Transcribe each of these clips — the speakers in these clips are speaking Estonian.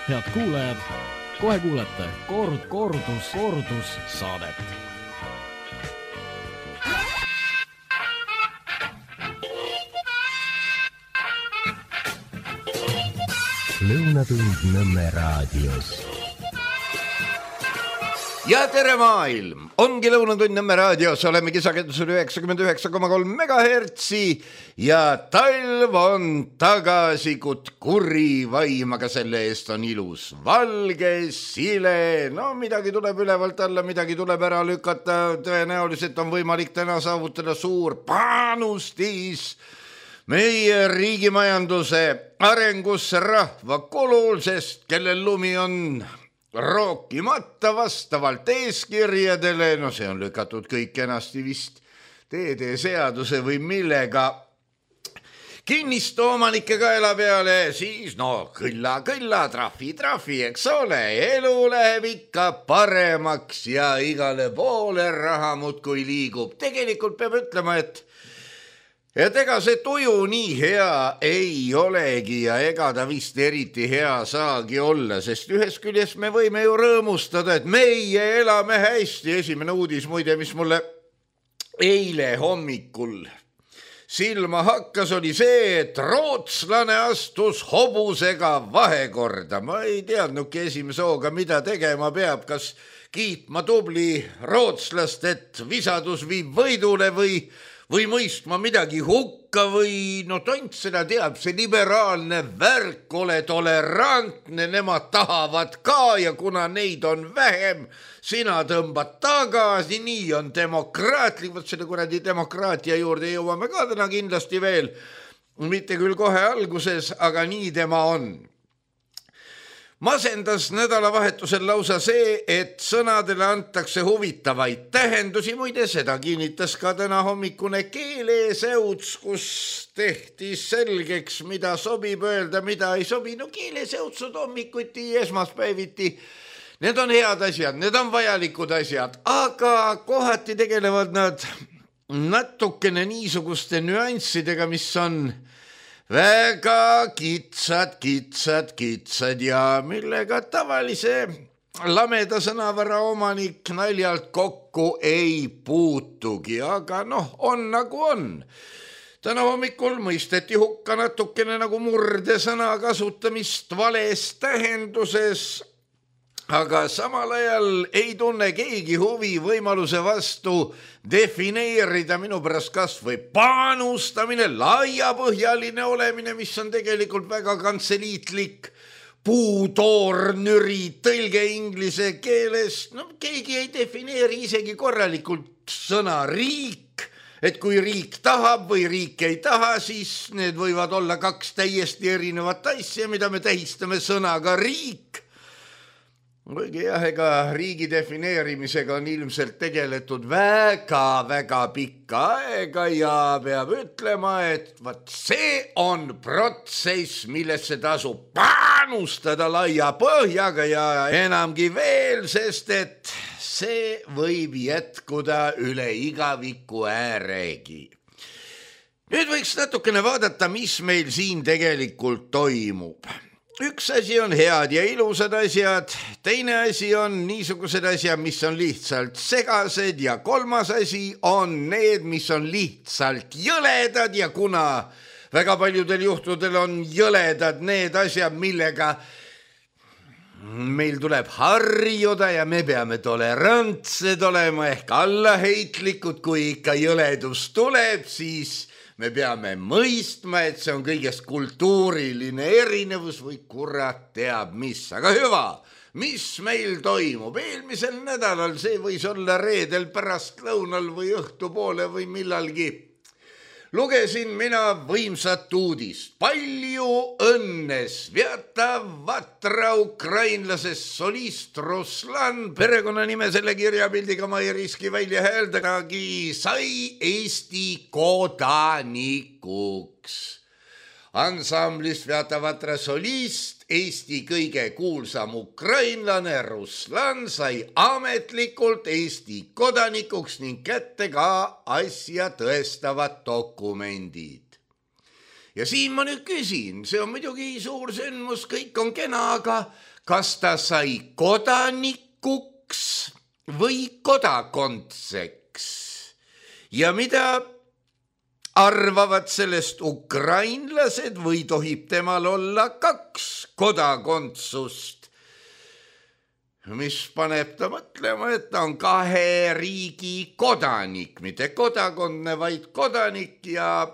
Head kuulajad, kohe kuulete kordus saadet. Lõunatund Nõmme raadios. Ja tere maailm! Ongi Lõunatund Nõmme raadios, oleme kisakendusel 99,3 megahertsi ja talv on tagasi kut kurri vaim, aga selle eest on ilus valge, sile, no midagi tuleb ülevalt alla, midagi tuleb ära lükata, tõenäoliselt on võimalik täna saavutada suur panustis meie riigimajanduse arengusse rahva kulul, sest kellel lumi on rookimata vastavalt eeskirjadele, no see on lükatud kõik enasti vist teedeseaduse või millega kinnistu omanike kaela peale, siis no kõlla, trahvi, eks ole, elu läheb ikka paremaks ja igale poole raha muudkui liigub. Tegelikult peab ütlema, et ega see tuju nii hea ei olegi ja ega ta vist eriti hea saagi olla, sest ühest küljest me võime ju rõõmustada, et meie elame hästi. Esimene uudis muide, mis mulle eile hommikul silma hakkas, oli see, et rootslane astus hobusega vahekorda. Ma ei teadnudki esimese hooga, mida tegema peab, kas kiitma tubli rootslast, et visadus viib võidule või mõistma midagi hukka või no tont seda teab, see liberaalne värk, ole tolerantne, nemad tahavad ka ja kuna neid on vähem, sina tõmbad tagasi, nii on demokraatlik, võt selle kuradi demokraatia juurde jõuame ka täna kindlasti veel, mitte küll kohe alguses, aga nii tema on. Masendas nädalavahetusel lausa see, et sõnadele antakse huvitavaid tähendusi, muide seda kinnitas ka täna hommikune keeleseuts, kus tehti selgeks, mida sobib öelda, mida ei sobi. No keeleseutsud hommikuti, esmaspäeviti, need on head asjad, need on vajalikud asjad, aga kohati tegelevad nad natukene niisuguste nüanssidega, mis on väga kitsad ja millega tavalise lameda sõnavara omanik naljalt kokku ei puutugi, aga noh, on nagu on. Täna hommikul mõisteti hukka natukene nagu murdesõna kasutamist vales tähenduses, aga samal ajal ei tunne keegi huvi võimaluse vastu defineerida minu pärast kas või panustamine, laiapõhjaline olemine, mis on tegelikult väga kantseliitlik puutoornüri tõlge inglise keeles. No keegi ei defineeri isegi korralikult sõna riik, et kui riik tahab või riik ei taha, siis need võivad olla kaks täiesti erinevat asja, mida me tähistame sõnaga riik. Kuigi jah, ega riigi defineerimisega on ilmselt tegeletud väga pikka aega ja peab ütlema, et vaat see on protsess, millesse tasub panustada laia põhjaga ja enamgi veel, sest et see võib jätkuda üle igaviku ääregi. Nüüd võiks natukene vaadata, mis meil siin tegelikult toimub. Üks asi on head ja ilusad asjad, teine asi on niisugused asjad, mis on lihtsalt segased ja kolmas asi on need, mis on lihtsalt jõledad ja kuna väga paljudel juhtudel on jõledad need asjad, millega meil tuleb harjuda ja me peame tolerantsed olema ehk allaheitlikud, kui ikka jõledus tuleb, siis me peame mõistma, et see on kõigest kultuuriline erinevus või kurat teab mis. Aga hüva, mis meil toimub? Eelmisel nädalal, see võis olla reedel pärastlõunal või õhtupoole või millalgi, lugesin mina võimsat uudist. Palju õnne, Svjata Vatra ukrainlasest solist Ruslan, perekonnanime selle kirjapildiga ma ei riski välja hääldagi, sai Eesti kodanikuks. Ansambli Svjata Vatra solist, Eesti kõige kuulsam ukrainlane Ruslan sai ametlikult Eesti kodanikuks ning kätte ka asja tõestavad dokumendid. ja siin ma nüüd küsin, see on muidugi suur sündmus, kõik on kena, aga kas ta sai kodanikuks või kodakondseks? Ja mida arvavad sellest ukrainlased või tohib temal olla 2 kodakondsust? Mis paneb ta mõtlema, et ta on 2 riigi kodanik, mitte kodakondne, vaid kodanik ja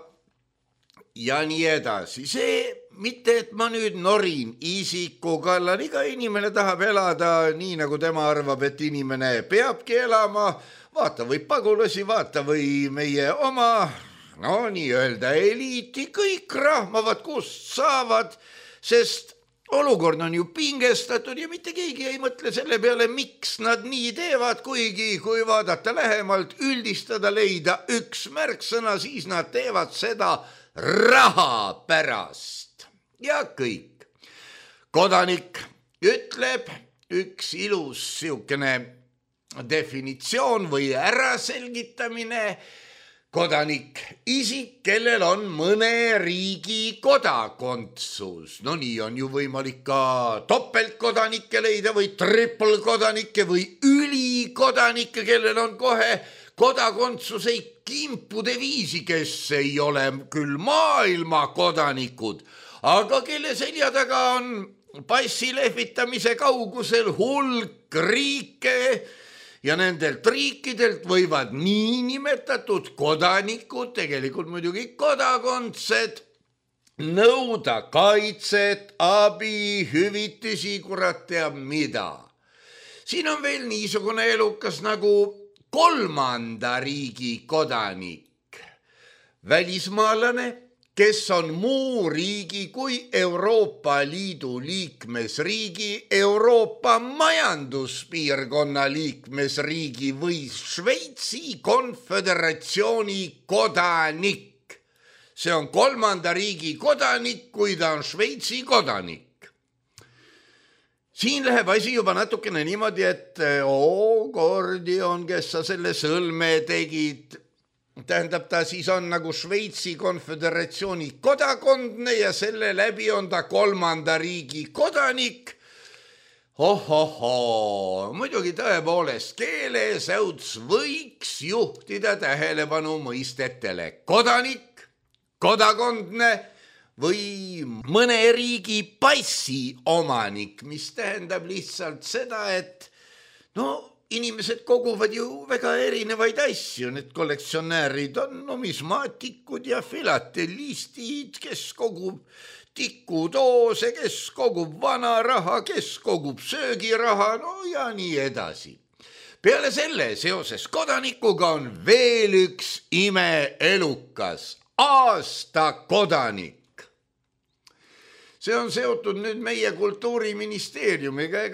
nii edasi. See mitte, et ma nüüd norin isiku kallal, iga inimene tahab elada nii, nagu tema arvab, et inimene peabki elama, vaata või pagulasi, vaata või meie oma, no nii-öelda eliiti, kõik rahmavad, kust saavad, sest olukord on ju pingestatud ja mitte keegi ei mõtle selle peale, miks nad nii teevad, kuigi kui vaadata lähemalt, üldistada, leida üks märksõna, siis nad teevad seda raha pärast ja kõik. Kodanik ütleb üks ilus siukene definitsioon või äraselgitamine. Kodanik, isik, kellel on mõne riigi kodakondsus. No nii on ju võimalik ka topeltkodanikke leida või trippelkodanikke või ülikodanikke, kellel on kohe kodakondsuseid kimpude viisi, kes ei ole küll maailma kodanikud, aga kelle selja taga on passi lehvitamise kaugusel hulk riike ja nendelt riikidelt võivad niinimetatud kodanikud, tegelikult muidugi kodakondsed, nõuda kaitset, abi, hüvitisi, kurat teab mida. Siin on veel niisugune elukas nagu 3. riigi kodanik, välismaalane, kes on muu riigi kui Euroopa Liidu liikmesriigi, Euroopa majanduspiirkonna liikmesriigi või Šveitsi konföderatsiooni kodanik. See on 3. riigi kodanik, kui ta on Šveitsi kodanik. Siin läheb asi juba natukene niimoodi, et Gordion, kes sa selle sõlme tegid, tähendab, ta siis on nagu Šveitsi konföderatsiooni kodakondne ja selle läbi on ta 3. riigi kodanik. Muidugi tõepoolest keelesäuts võiks juhtida tähelepanu mõistetele kodanik, kodakondne või mõne riigi passi omanik, mis tähendab lihtsalt seda, et inimesed koguvad ju väga erinevaid asju, need kollektsionäärid on numismaatikud ja filatelistid, kes kogub tikudoose, kes kogub vana raha, kes kogub söögiraha, ja nii edasi. Peale selle seoses kodanikuga on veel üks imeelukas, aastakodanik. See on seotud nüüd meie kultuuriministeeriumiga,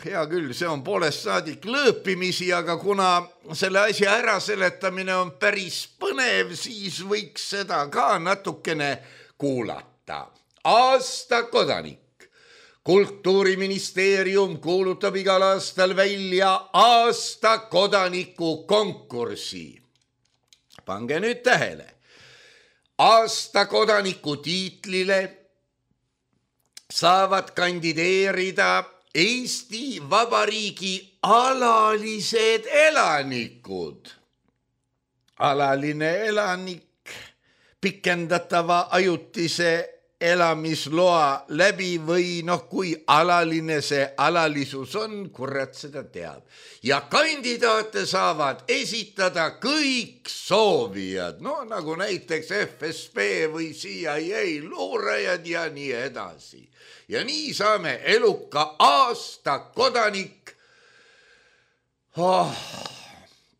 hea küll, see on poolest saadik lõõpimisi, aga kuna selle asja äraseletamine on päris põnev, siis võiks seda ka natukene kuulata. Aastakodanik. Kultuuriministeerium kuulutab igal aastal välja aastakodaniku konkursi. Pange nüüd tähele. Aastakodaniku tiitlile saavad kandideerida Eesti Vabariigi alalised elanikud. Alaline elanik pikendatava ajutise elamisloa läbi või kui alaline see alalisus on, kurat seda teab. Ja kandidaate saavad esitada kõik soovijad, nagu näiteks FSB või CIA luurajad ja nii edasi. Ja nii saame eluka aastakodanik.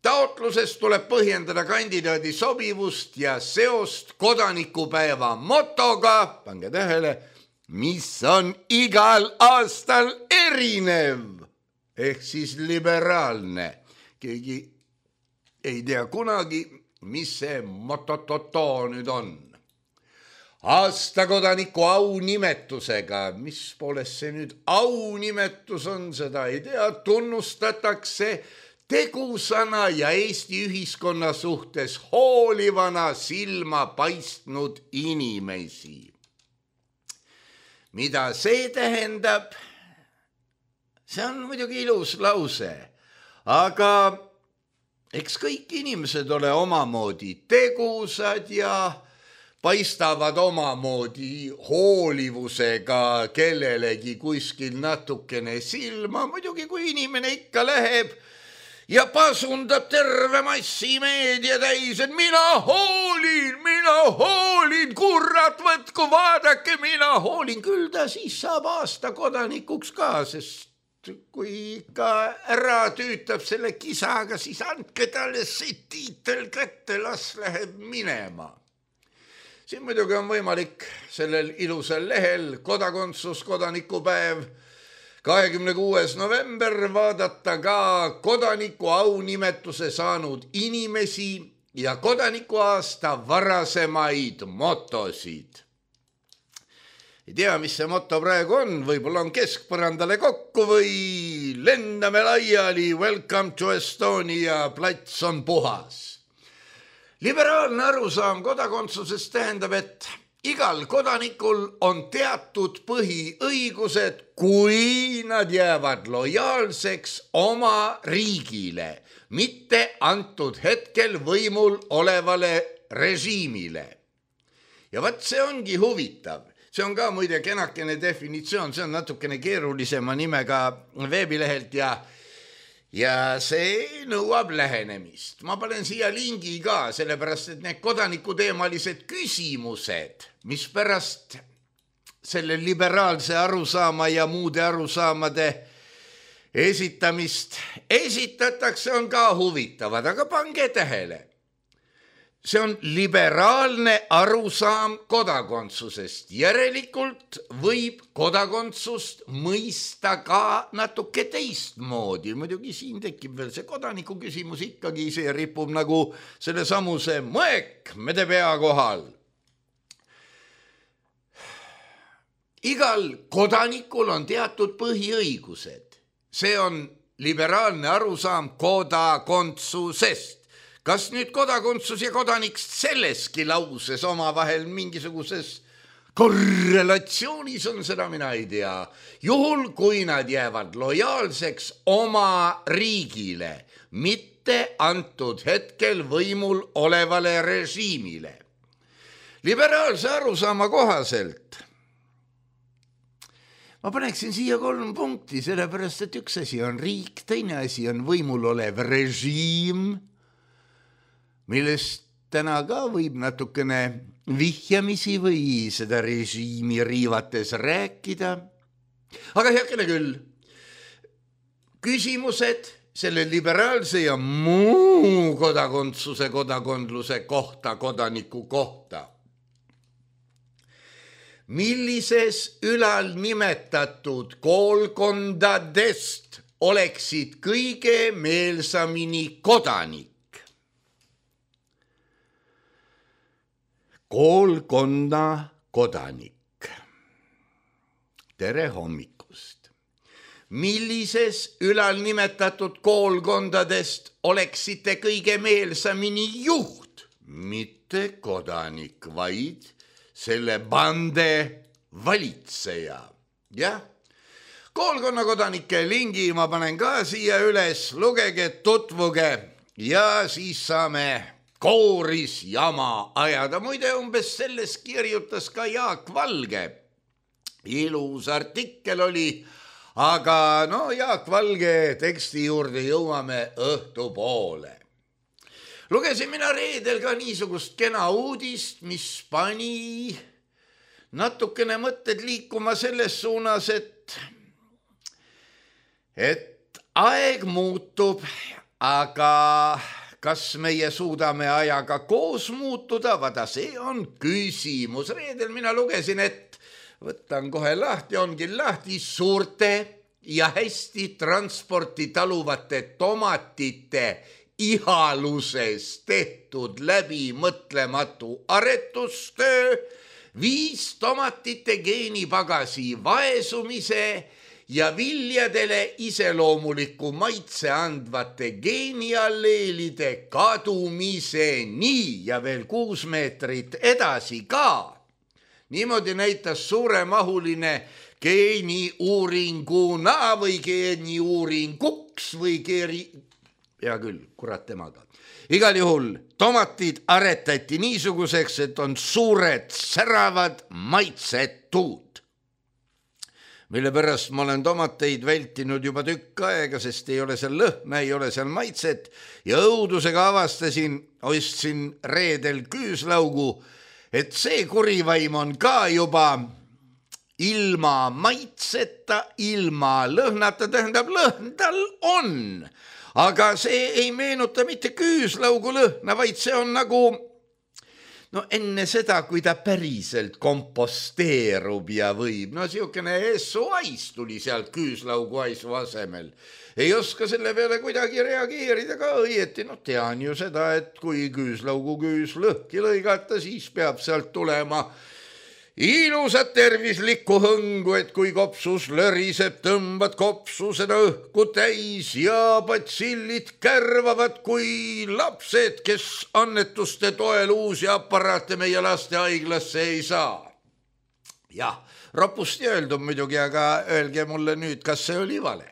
Taotluses tuleb põhjendada kandidaadi sobivust ja seost kodanikupäeva motoga, pange tähele, mis on igal aastal erinev, ehk siis liberaalne. Keegi ei tea kunagi, mis see motototo nüüd on. Aastakodaniku aunimetusega, mis poolest see nüüd aunimetus on, seda ei tea, tunnustatakse tegusana ja Eesti ühiskonna suhtes hoolivana silma paistnud inimesi. Mida see tähendab? See on muidugi ilus lause, aga eks kõik inimesed ole omamoodi tegusad ja paistavad omamoodi hoolivusega kellelegi kuskil natukene silma. Muidugi kui inimene ikka läheb ja pasundab terve massimeedia täis, et mina hoolin, kurat, võtku, vaadake, mina hoolin. Küll ta siis saab aasta kodanikuks ka, sest kui ikka ära tüütab selle kisaga, siis andke talle see tiitel kätte, las läheb minema. Siin muidugi on võimalik sellel ilusal lehel kodakondsus, kodanikupäev 26. november vaadata ka kodaniku aunimetuse saanud inimesi ja kodanikuaasta varasemaid motosid. Ei tea, mis see moto praegu on, võib-olla on keskpõrandale kokku või lendame laiali, welcome to Estonia, plats on puhas. Liberaalne arusaam kodakondsusest tähendab, et igal kodanikul on teatud põhiõigused, kui nad jäävad lojaalseks oma riigile, mitte antud hetkel võimul olevale režiimile. Ja vaat see ongi huvitav. See on ka muide kenakene definitsioon, see on natukene keerulisema nimega veebilehelt ja see nõuab lähenemist. Ma panen siia lingi ka, sellepärast et need kodanikuteemalised küsimused, mis pärast selle liberaalse arusaama ja muude arusaamade esitamist esitatakse, on ka huvitavad, aga pange tähele. See on liberaalne arusaam kodakondsusest. Järelikult võib kodakondsust mõista ka natuke teistmoodi. Muidugi siin tekib veel see kodaniku küsimus ikkagi, see ripub nagu selle samuse mõek mede pea kohal. Igal kodanikul on teatud põhiõigused. See on liberaalne arusaam kodakondsusest. Kas nüüd kodakondsus ja kodanik selleski lauses omavahel mingisuguses korrelatsioonis on, seda mina ei tea. Juhul, kui nad jäävad lojaalseks oma riigile, mitte antud hetkel võimul olevale režiimile. Liberaalse arusaama kohaselt ma paneksin siia 3 punkti, sellepärast et üks asi on riik, teine asi on võimul olev režiim, millest täna ka võib natukene vihjamisi või seda režiimi riivates rääkida. Aga heakene küll, küsimused selle liberaalse ja muu kodakondsuse, kodakondluse kohta, kodaniku kohta. Millises ülal nimetatud koolkondadest oleksid kõige meelsamini kodanik? Koolkonna kodanik. Tere hommikust. Millises ülal nimetatud koolkondadest oleksite kõige meelsamini juht? Mitte kodanik, vaid selle bande valitseja. Jah, koolkonna kodanike lingi ma panen ka siia üles, lugege, tutvuge ja siis saame kooris jama ajada. Muide, umbes selles kirjutas ka Jaak Valge. Ilus artikkel oli, aga Jaak Valge teksti juurde jõuame õhtupoole. Lugesin mina reedel ka niisugust kena uudist, mis pani natukene mõtted liikuma selles suunas, et aeg muutub, aga kas meie suudame ajaga koos muutuda? Vada, see on küsimus. Reedel mina lugesin, et võtan kohe lahti, ongi lahti suurte ja hästi transporti taluvate tomatite ihaluses tehtud läbimõtlematu aretustöö, 5 tomatite geenipagasi vaesumise ja viljadele iseloomuliku maitse andvate geenialleelide kadumiseni ja veel 6 meetrit edasi ka. Niimoodi näitas suuremahuline geeniuuringuna või geeniuuringuks või hea küll, kurat temaga. Igal juhul tomatid aretati niisuguseks, et on suured, säravad, maitsetud. Mille pärast ma olen tomateid vältinud juba tükk aega, sest ei ole seal lõhna, ei ole seal maitset ja õudusega ostsin reedel küüslaugu, et see kurivaim on ka juba ilma maitseta, ilma lõhnata, tähendab lõhn tal on. Aga see ei meenuta mitte küüslaugu lõhna, vaid see on nagu enne seda, kui ta päriselt komposteerub ja võib. Siukene essuais tuli sealt küüslaugu aisu asemel. Ei oska selle peale kuidagi reageerida ka õieti. Tean ju seda, et kui küüslaugu küüs lõhki lõigata, siis peab sealt tulema ilusat tervislikku hõngu, et kui kopsus löriseb, tõmbad kopsu seda õhku täis ja batsillid kärvavad kui lapsed, kes annetuste toel uusi aparaate meie lastehaiglasse ei saa. Jah, ropusti öeldum muidugi, aga öelge mulle nüüd, kas see oli vale.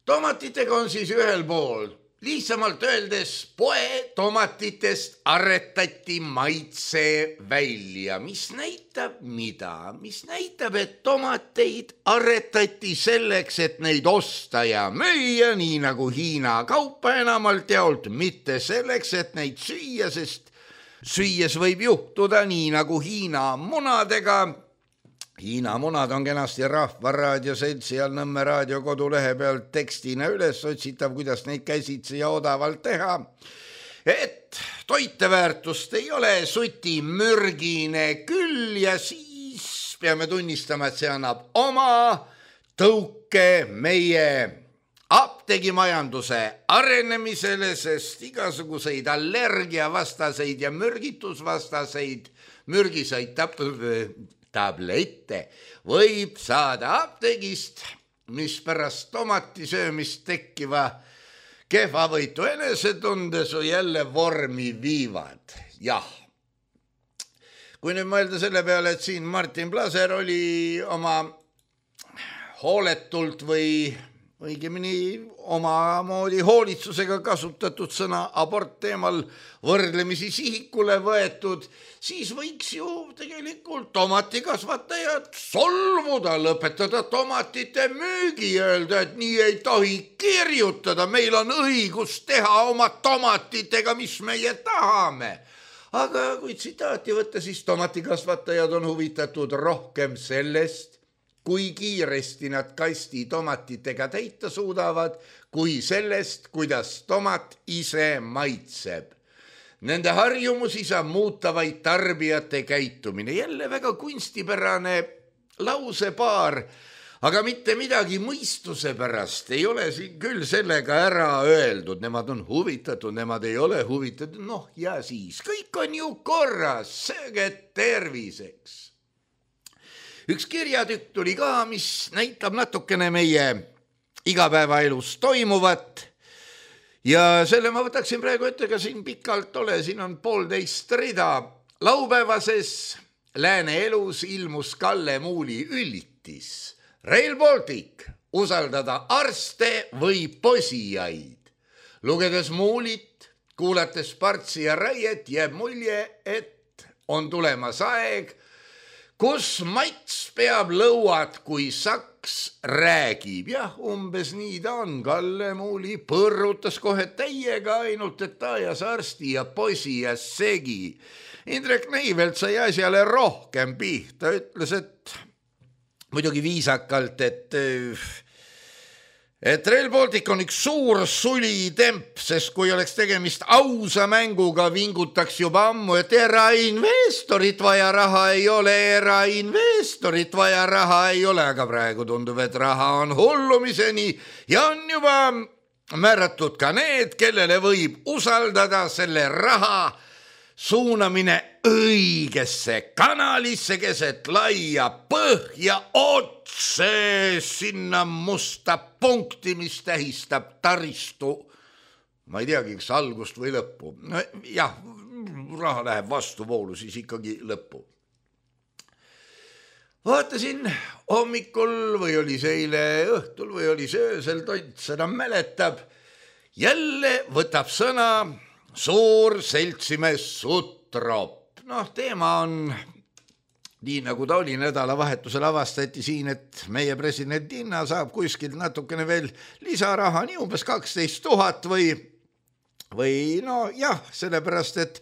Tomatitega on siis ühel pool. Lihtsamalt öeldes poe tomatitest aretati maitse välja. Mis näitab mida? Mis näitab, et tomateid aretati selleks, et neid osta ja müüa, nii nagu Hiina kaupa enamalt jaolt, mitte selleks, et neid süüa, sest süües võib juhtuda nii nagu Hiina munadega. Hiina munad on kenasti Rahvaraadio Seltsi ja Nõmme raadio kodulehe pealt tekstina üles otsitav, kuidas neid käsitsi ja odavalt teha. Et toiteväärtust ei ole, suti mürgine küll ja siis peame tunnistama, et see annab oma tõuke meie apteegimajanduse arenemisele, sest igasuguseid allergiavastaseid ja mürgitusvastaseid mürgiseid tablette võib saada apteegist, mis pärast tomati söömist tekkiva kehvavõitu enesetundesu jälle vormi viivad. Jah. Kui nüüd mõelda selle peale, et siin Martin Plaser oli oma hooletult või õigemini omamoodi hoolitsusega kasutatud sõna abort teemal võrdlemisi sihikule võetud, siis võiks ju tegelikult tomatikasvatajad solvuda, lõpetada tomatite müügi, öelda, et nii ei tohi kirjutada, meil on õigus teha oma tomatitega, mis meie tahame. Aga kui tsitaati võtta, siis tomatikasvatajad on huvitatud rohkem sellest, kui kiiresti nad kasti tomatitega täita suudavad, kui sellest, kuidas tomat ise maitseb. Nende harjumusi saab muuta vaid tarbijate käitumine. Jälle väga kunstipärane lausepaar, aga mitte midagi mõistuse pärast ei ole siin küll sellega ära öeldud. Nemad on huvitatud, nemad ei ole huvitatud. Ja siis, kõik on ju korras, sööge terviseks. Üks kirjatükk tuli ka, mis näitab natukene meie igapäevaelus toimuvat ja selle ma võtaksin praegu ette, ka siin pikalt ole, siin on 1,5 rida. Laupäevases Lääne elus ilmus Kalle Muuli üllitis. Rail Baltic, usaldada arste või posijaid. Lugedes Muulit, kuulates Partsi ja Raiet, jääb mulje, et on tulemas aeg, kus Mats peab lõuad, kui Saks räägib. Jah, umbes nii ta on. Kalle Muuli põrrutas kohe täiega, ainult et ta ajas arsti ja posi ja segi. Indrek Neivelt sai asjale rohkem pihta. Ütles, et muidugi viisakalt, et Rail Baltic on üks suur sulitemp, sest kui oleks tegemist ausa mänguga, vingutaks juba ammu, et erainvestorit vaja raha ei ole, aga praegu tundub, et raha on hullumiseni ja on juba määratud ka need, kellele võib usaldada selle raha suunamine õigesse kanalisse keset laia põhja otse sinna musta punkti, mis tähistab taristu. Ma ei teagi, kas algust või lõppu. No, jah, raha läheb vastuvoolu, siis ikkagi lõppu. Vaatasin hommikul või oli see eile õhtul või oli see öösel, Tont seda mäletab. Jälle võtab sõna suur seltsimees Sutrop. Teema on nii nagu ta oli nädalavahetusel avastati siin, et meie president Inna saab kuskilt natukene veel lisaraha, nii umbes 12 000 või sellepärast, et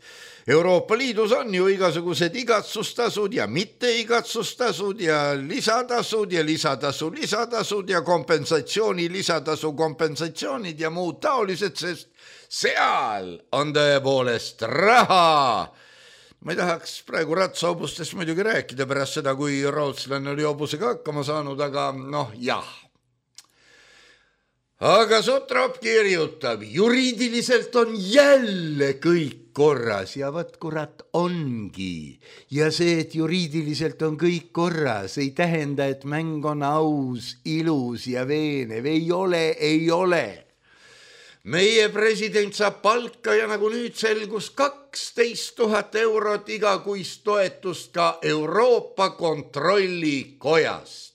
Euroopa Liidus on ju igasugused igatsustasud ja mitte igatsustasud ja lisatasud ja lisatasud ja kompensatsioonid ja muud taolised, sest seal on tõepoolest raha. Ma ei tahaks praegu ratsahobustest muidugi rääkida pärast seda, kui rootslane oli hobusega hakkama saanud, aga jah. Aga Sutrop kirjutab, juriidiliselt on jälle kõik korras ja võt kurat ongi. Ja see, et juriidiliselt on kõik korras, ei tähenda, et mäng on aus, ilus ja veenev. Ei ole. Meie president saab palka ja nagu nüüd selgus 12 000 eurot igakuist toetust ka Euroopa Kontrollikojast.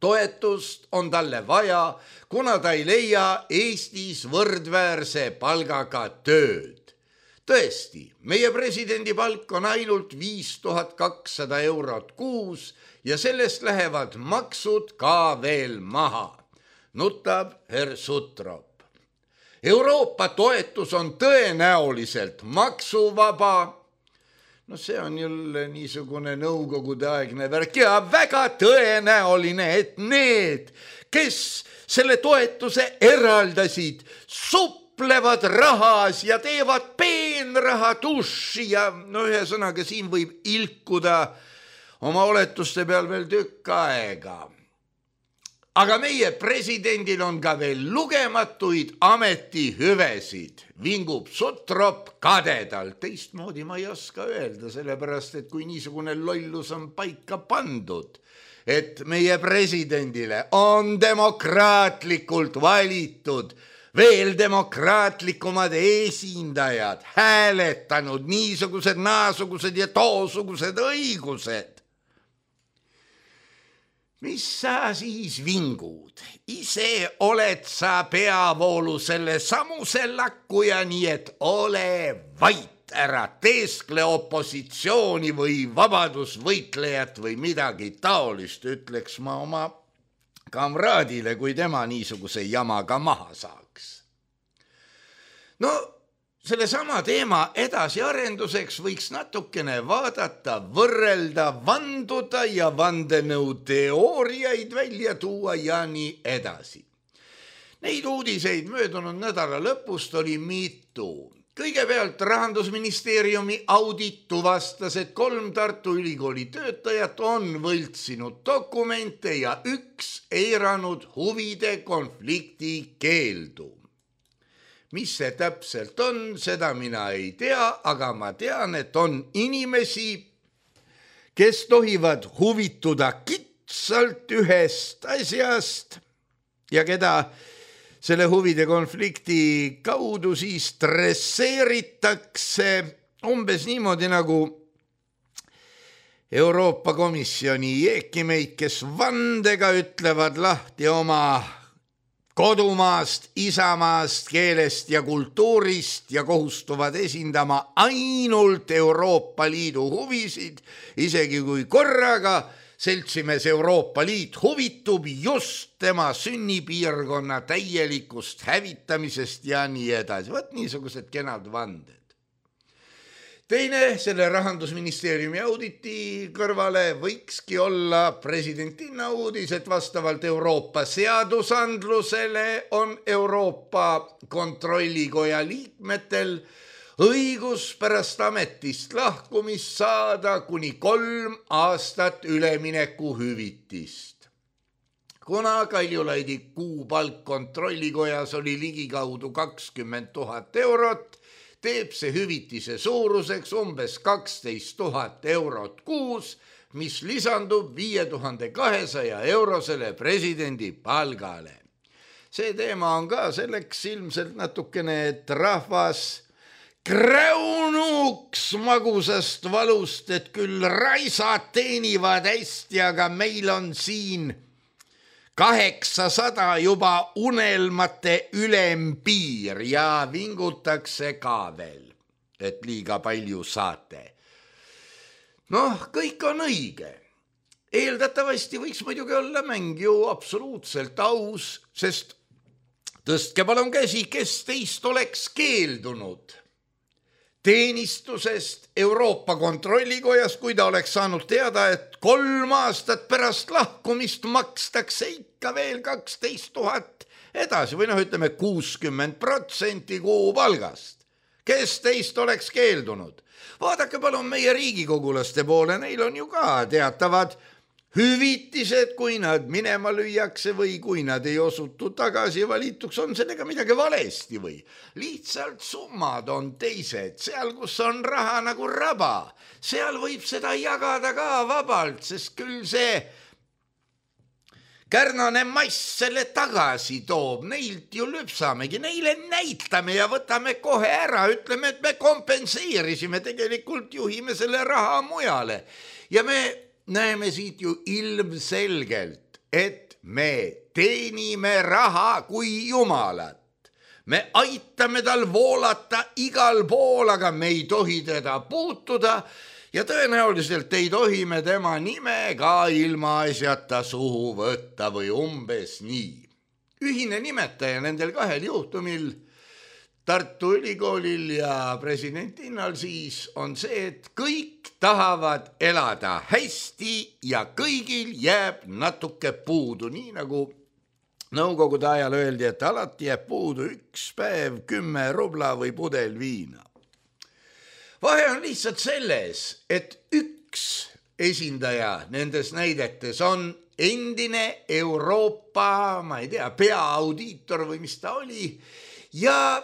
Toetust on talle vaja, kuna ta ei leia Eestis võrdväärse palgaga tööd. Tõesti, meie presidendi palk on ainult 5200 eurot kuus ja sellest lähevad maksud ka veel maha, nutab herr Sutrop. Euroopa toetus on tõenäoliselt maksuvaba. See on jälle niisugune nõukogudeaegne värk ja väga tõenäoline, et need, kes selle toetuse eraldasid, suplevad rahas ja teevad peenraha tuši ja ühesõnaga siin võib ilkuda oma oletuste peal veel tükk aega. Aga meie presidendil on ka veel lugematuid ametihüvesid, vingub Sutrop kadedalt. Teistmoodi ma ei oska öelda, sellepärast, et kui niisugune lollus on paika pandud, et meie presidendile on demokraatlikult valitud veel demokraatlikumad esindajad, hääletanud niisugused, naasugused ja toosugused õigused. Mis sa siis vingud? Ise oled sa peavoolu selle samuse lakkuja, nii et ole vait, ära teeskle opositsiooni või vabadusvõitlejat või midagi taolist, ütleks ma oma kamraadile, kui tema niisuguse jamaga maha saaks. Selle sama teema edasiarenduseks võiks natukene vaadata, võrrelda, vanduda ja vandenõuteooriaid välja tuua ja nii edasi. Neid uudiseid möödunud nädala lõpust oli mitu. Kõigepealt Rahandusministeeriumi audit tuvastas, et 3 Tartu Ülikooli töötajat on võltsinud dokumente ja 1 eiranud huvide konflikti keeldu. Mis see täpselt on, seda mina ei tea, aga ma tean, et on inimesi, kes tohivad huvituda kitsalt ühest asjast ja keda selle huvide konflikti kaudu siis stresseeritakse umbes niimoodi nagu Euroopa Komisjoni jeekimeid, kes vandega ütlevad lahti oma kodumaast, isamaast, keelest ja kultuurist ja kohustuvad esindama ainult Euroopa Liidu huvisid, isegi kui korraga seltsimees Euroopa Liit huvitub just tema sünnipiirkonna täielikust hävitamisest ja nii edasi. Võt niisugused kenad vanded. Teine, selle Rahandusministeeriumi auditi kõrvale võikski olla presidentina uudis, et vastavalt Euroopa seadusandlusele on Euroopa Kontrollikoja liikmetel õigus pärast ametist lahkumist saada kuni 3 aastat üleminekuhüvitist. Kuna Kaljulaidi kuupalk Kontrollikojas oli ligikaudu 20 000 eurot, teeb see hüvitise suuruseks umbes 12 000 eurot kuus, mis lisandub 5200 eurosele presidendi palgale. See teema on ka selleks ilmselt natukene, et rahvas kräunuks magusast valust, et küll raisad teenivad hästi, aga meil on siin 800 juba unelmate ülempiir ja vingutakse ka veel, et liiga palju saate. Noh, kõik on õige. Eeldatavasti võiks muidugi olla mäng ju absoluutselt aus, sest tõstke palun käsi, kes teist oleks keeldunud teenistusest Euroopa Kontrollikojas, kui ta oleks saanud teada, et 3 aastat pärast lahkumist makstakse ikka veel 12 000 edasi või ütleme 60% kuupalgast. Kes teist oleks keeldunud? Vaadake palun meie riigikogulaste poole, neil on ju ka teatavad hüvitised, kui nad minema lüüakse või kui nad ei osutu tagasi valituks, on sellega midagi valesti või lihtsalt summad on teised. Seal, kus on raha nagu raba, seal võib seda jagada ka vabalt, sest küll see kärnane mass selle tagasi toob. Neilt ju lüpsamegi, neile näitame ja võtame kohe ära, ütleme, et me kompenseerisime, tegelikult juhime selle raha mujale ja me näeme siit ju ilmselgelt, et me teenime raha kui jumalat. Me aitame tal voolata igal pool, aga me ei tohi teda puutuda ja tõenäoliselt ei tohi me tema nime ka ilma asjata suhu võtta või umbes nii. Ühine nimetaja nendel 2 juhtumil, Tartu Ülikoolil ja president Innal siis, on see, et kõik tahavad elada hästi ja kõigil jääb natuke puudu, nii nagu nõukogude ajal öeldi, et alati jääb puudu 1 päev, 10 rubla või pudel viina. Vahe on lihtsalt selles, et üks esindaja nendes näidetes on endine Euroopa, ma ei tea, peaaudiitor või mis ta oli ja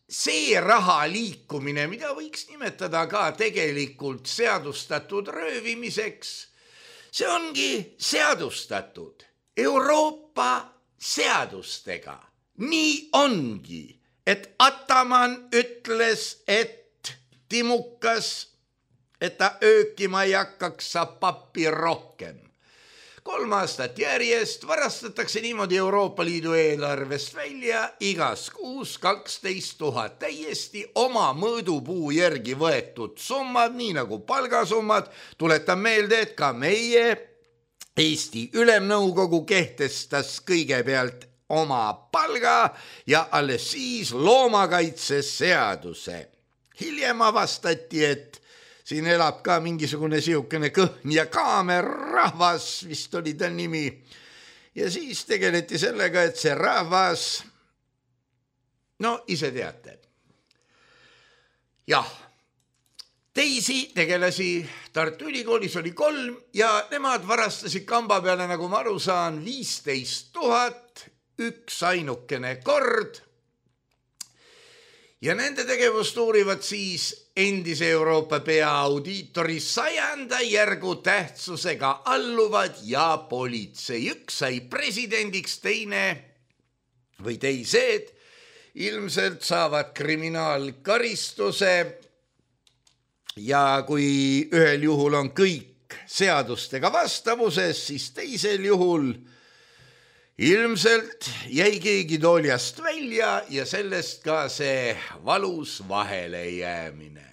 see raha liikumine, mida võiks nimetada ka tegelikult seadustatud röövimiseks, see ongi seadustatud Euroopa seadustega. Nii ongi, et Ataman ütles, et timukas, et ta öökima ei hakkaks, saab pappi rohkem. 3 aastat järjest varastatakse niimoodi Euroopa Liidu eelarvest välja igas kuus 12 000 täiesti oma mõõdupuu järgi võetud summad, nii nagu palgasummad. Tuletan meelde, et ka meie Eesti Ülemnõukogu kehtestas kõigepealt oma palga ja alles siis loomakaitseseaduse. Hiljem avastati, et siin elab ka mingisugune siukene kõhn ja kaamerrahvas, vist oli ta nimi. Ja siis tegeleti sellega, et see rahvas, no ise teate. Jah, teisi tegelasi Tartu Ülikoolis oli 3 ja nemad varastasid kamba peale, nagu ma aru saan, 15 000 üks ainukene kord. Ja nende tegevust uurivad siis endise Euroopa peaaudiitori 100. järgu tähtsusega alluvad ja politsei. Üks sai presidendiks, teine või teised ilmselt saavad kriminaalkaristuse ja kui ühel juhul on kõik seadustega vastavuses, siis teisel juhul ilmselt jäi keegi tooljast välja ja sellest ka see valus vahele jäämine.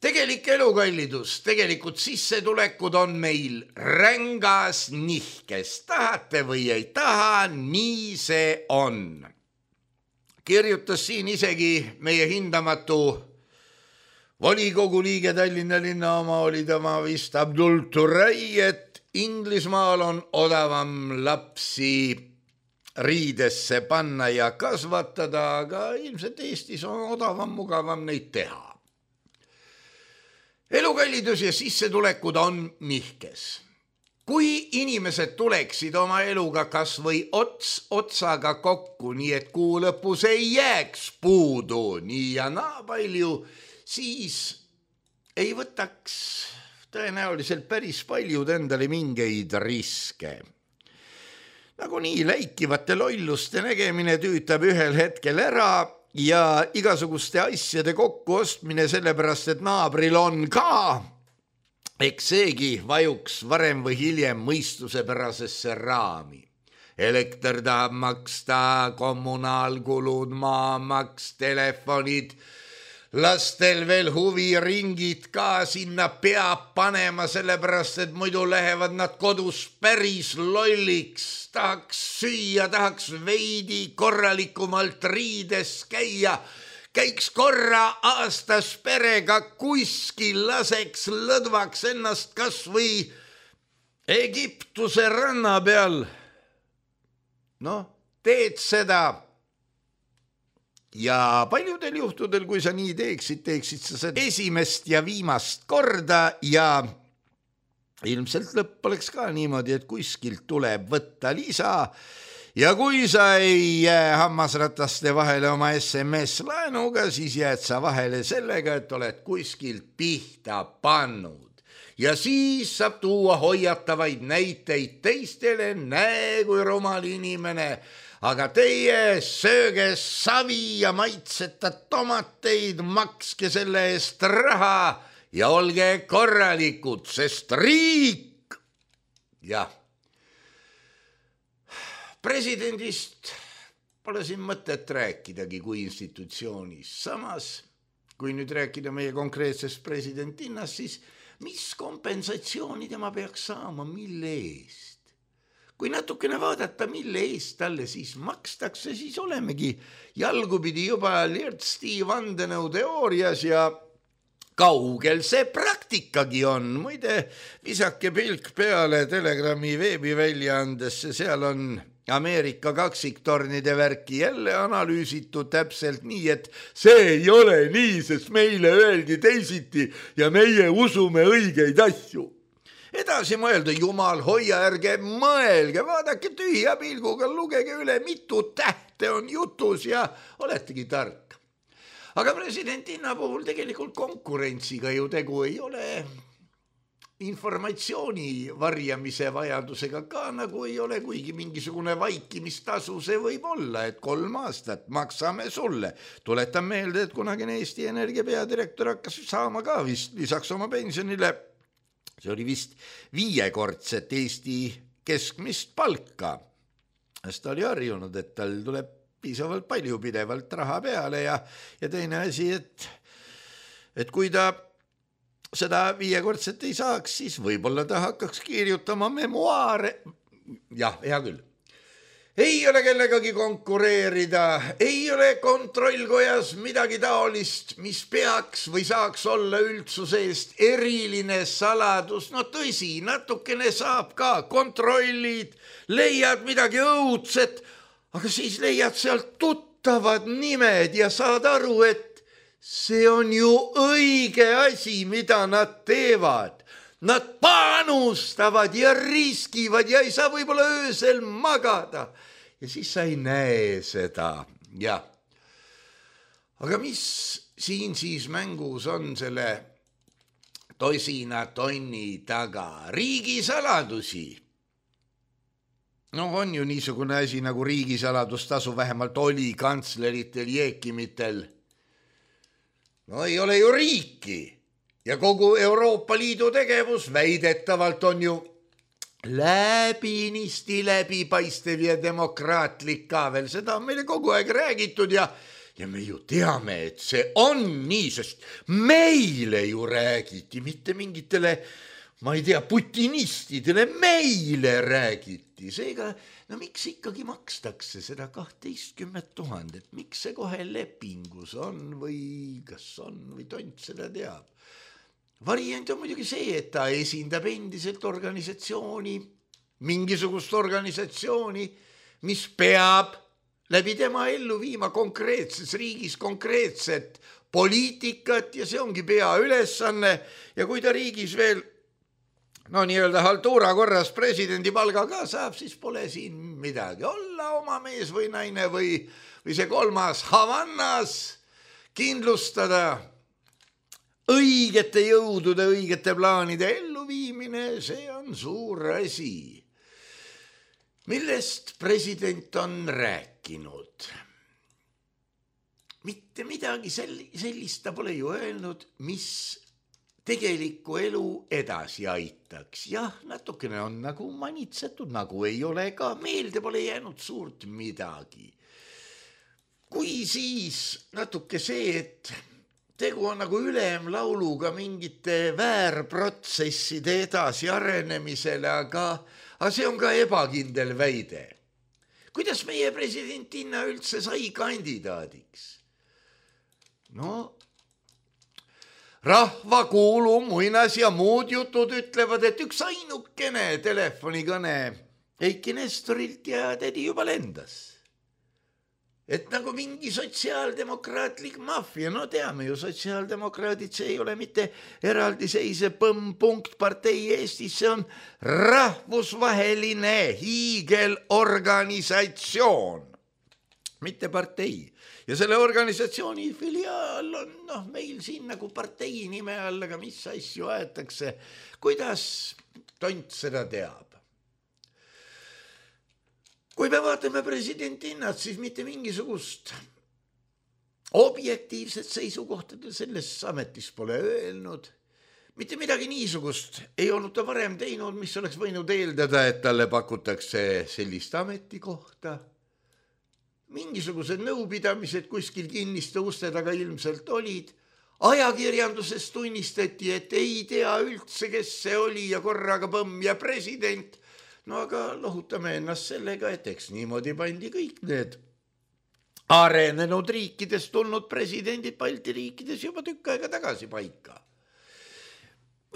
Tegelik elukallidus, tegelikult sissetulekud on meil rängas nihkes. Tahate või ei taha, nii see on. Kirjutas siin isegi meie hindamatu volikogu liige Tallinna linna oma, oli tema vist Abdul Turay, et Inglismaal on odavam lapsi riidesse panna ja kasvatada, aga ilmselt Eestis on odavam, mugavam neid teha. Elukallidus ja sissetulekud on nihkes. kui inimesed tuleksid oma eluga kas või ots otsaga kokku, nii et kuu lõpus ei jääks puudu nii ja naa palju, siis ei võtaks tõenäoliselt päris paljud endale mingeid riske. Nagu nii läikivate lolluste nägemine tüütab ühel hetkel ära ja igasuguste asjade kokkuostmine sellepärast, et naabril on ka, eks seegi vajuks varem või hiljem mõistusepärasesse raami. Elekter tahab maksta, kommunaalkulud, maamaks, telefonid, lastel veel huviringid ka sinna peab panema, sellepärast, et muidu lähevad nad kodus päris lolliks. Tahaks süüa, tahaks veidi korralikumalt riides käia, käiks korra aastas perega kuskil, laseks lõdvaks ennast kas või Egiptuse ranna peal. Noh, teed seda. Ja paljudel juhtudel, kui sa nii teeksid sa seda esimest ja viimast korda ja ilmselt lõpp oleks ka niimoodi, et kuskilt tuleb võtta lisa. Ja kui sa ei jää hammasrataste vahele oma SMS-laenuga, siis jääd sa vahele sellega, et oled kuskilt pihta pannud. Ja siis saab tuua hoiatavaid näiteid teistele, näe kui rumal inimene, aga teie sööge savi ja maitseta tomateid, makske selle eest raha ja olge korralikud, sest riik, jah. Presidendist pole siin mõtet rääkidagi kui institutsioonis. Samas, kui nüüd rääkida meie konkreetsest presidendinnast, siis mis kompensatsiooni tema peaks saama, mille eest? Kui natukene vaadata, mille eest talle siis makstakse, siis olemegi jalgupidi juba lirtsti vandenõuteoorias ja kaugel see praktikagi on. Muide, visake pilk peale Telegrami veebiväljaandesse, seal on Ameerika kaksiktornide värki jälle analüüsitud täpselt nii, et see ei ole nii, sest meile öeldi teisiti ja meie usume õigeid asju. Edasi mõelda, jumal, hoia, ärge mõelge, vaadake tühja pilguga, lugege üle, mitu tähte on jutus ja oletegi tark. Aga presidentinna puhul tegelikult konkurentsiga ju tegu ei ole. Informatsiooni varjamise vajadusega ka nagu ei ole, kuigi mingisugune vaikimistasu see võib olla, et 3 aastat maksame sulle. Tuletan meelde, et kunagine Eesti Energia peadirektor hakkas saama ka vist lisaks oma pensionile. See oli vist 5-kordset Eesti keskmist palka. Ta oli harjunud, et tal tuleb piisavalt palju pidevalt raha peale ja teine asi, et kui ta seda 5-kordset ei saaks, siis võib-olla ta hakkaks kirjutama memuaare. Jah, hea küll. Ei ole kellegagi konkureerida, ei ole kontrollkojas midagi taolist, mis peaks või saaks olla üldsuse eest eriline saladus. No tõsi, natukene saab ka, kontrollid, leiad midagi õudset, aga siis leiad sealt tuttavad nimed ja saad aru, et see on ju õige asi, mida nad teevad. Nad panustavad ja riskivad ja ei saa võib-olla öösel magada. Ja siis sa ei näe seda. Ja. Aga mis siin siis mängus on selle tosina tonni taga? Riigisaladusi. No on ju niisugune asi nagu riigisaladustasu, vähemalt oli kantsleritel, jeekimitel. No ei ole ju riiki ja kogu Euroopa Liidu tegevus väidetavalt on ju läbipaistev ja demokraatlik ka veel. Seda on meile kogu aeg räägitud ja me ju teame, et see on nii, sest meile ju räägiti, mitte mingitele, ma ei tea, putinistidele, meile räägiti. Seega, no miks ikkagi makstakse seda 12 000, miks see kohe lepingus on või kas on või tont seda teab. Variant on muidugi see, et ta esindab endiselt organisatsiooni, mingisugust organisatsiooni, mis peab läbi tema ellu viima konkreetses riigis konkreetset poliitikat ja see ongi peaülesanne ja kui ta riigis veel no nii-öelda haltuura korras presidendi palgaga saab, siis pole siin midagi olla, oma mees või naine või see kolmas Havannas kindlustada õigete jõudude, õigete plaanide elluviimine, see on suur asi. Millest president on rääkinud? Mitte midagi sellist ta pole ju öelnud, mis tegelikku elu edasi aitaks. Jah, natukene on nagu manitsetud, nagu ei ole ka, meelde pole jäänud suurt midagi. Kui siis natuke see, et tegu on nagu ülemlauluga mingite väärprotsesside edasi arenemisele, aga see on ka ebakindel väide. Kuidas meie presidentina üldse sai kandidaadiks? No, rahvakuulu, muinas ja muud jutud ütlevad, et üks ainukene telefonikõne Eiki Nestorilt ja tädi juba lendas. Et nagu mingi sotsiaaldemokraatlik maffia, no teame ju, sotsiaaldemokraadid, see ei ole mitte eraldiseisev punktpartei Eestis, see on rahvusvaheline hiigelorganisatsioon, mitte partei. Ja selle organisatsiooni filiaal on meil siin nagu partei nime all, aga mis asju aetakse, kuidas tont seda teab. Kui me vaatame presidendinnad, siis mitte mingisugust objektiivset seisukohta selles ametis pole öelnud. Mitte midagi niisugust ei olnud ta varem teinud, mis oleks võinud eeldada, et talle pakutakse sellist ametikohta. Mingisugused nõupidamised kuskil kinniste uste taga ilmselt olid. Ajakirjanduses tunnistati, et ei tea üldse, kes see oli ja korraga põmm ja president. No aga lohutame ennast sellega, et eks niimoodi pandi kõik need arenenud riikidest tulnud presidendid Balti riikides juba tükk aega tagasi paika.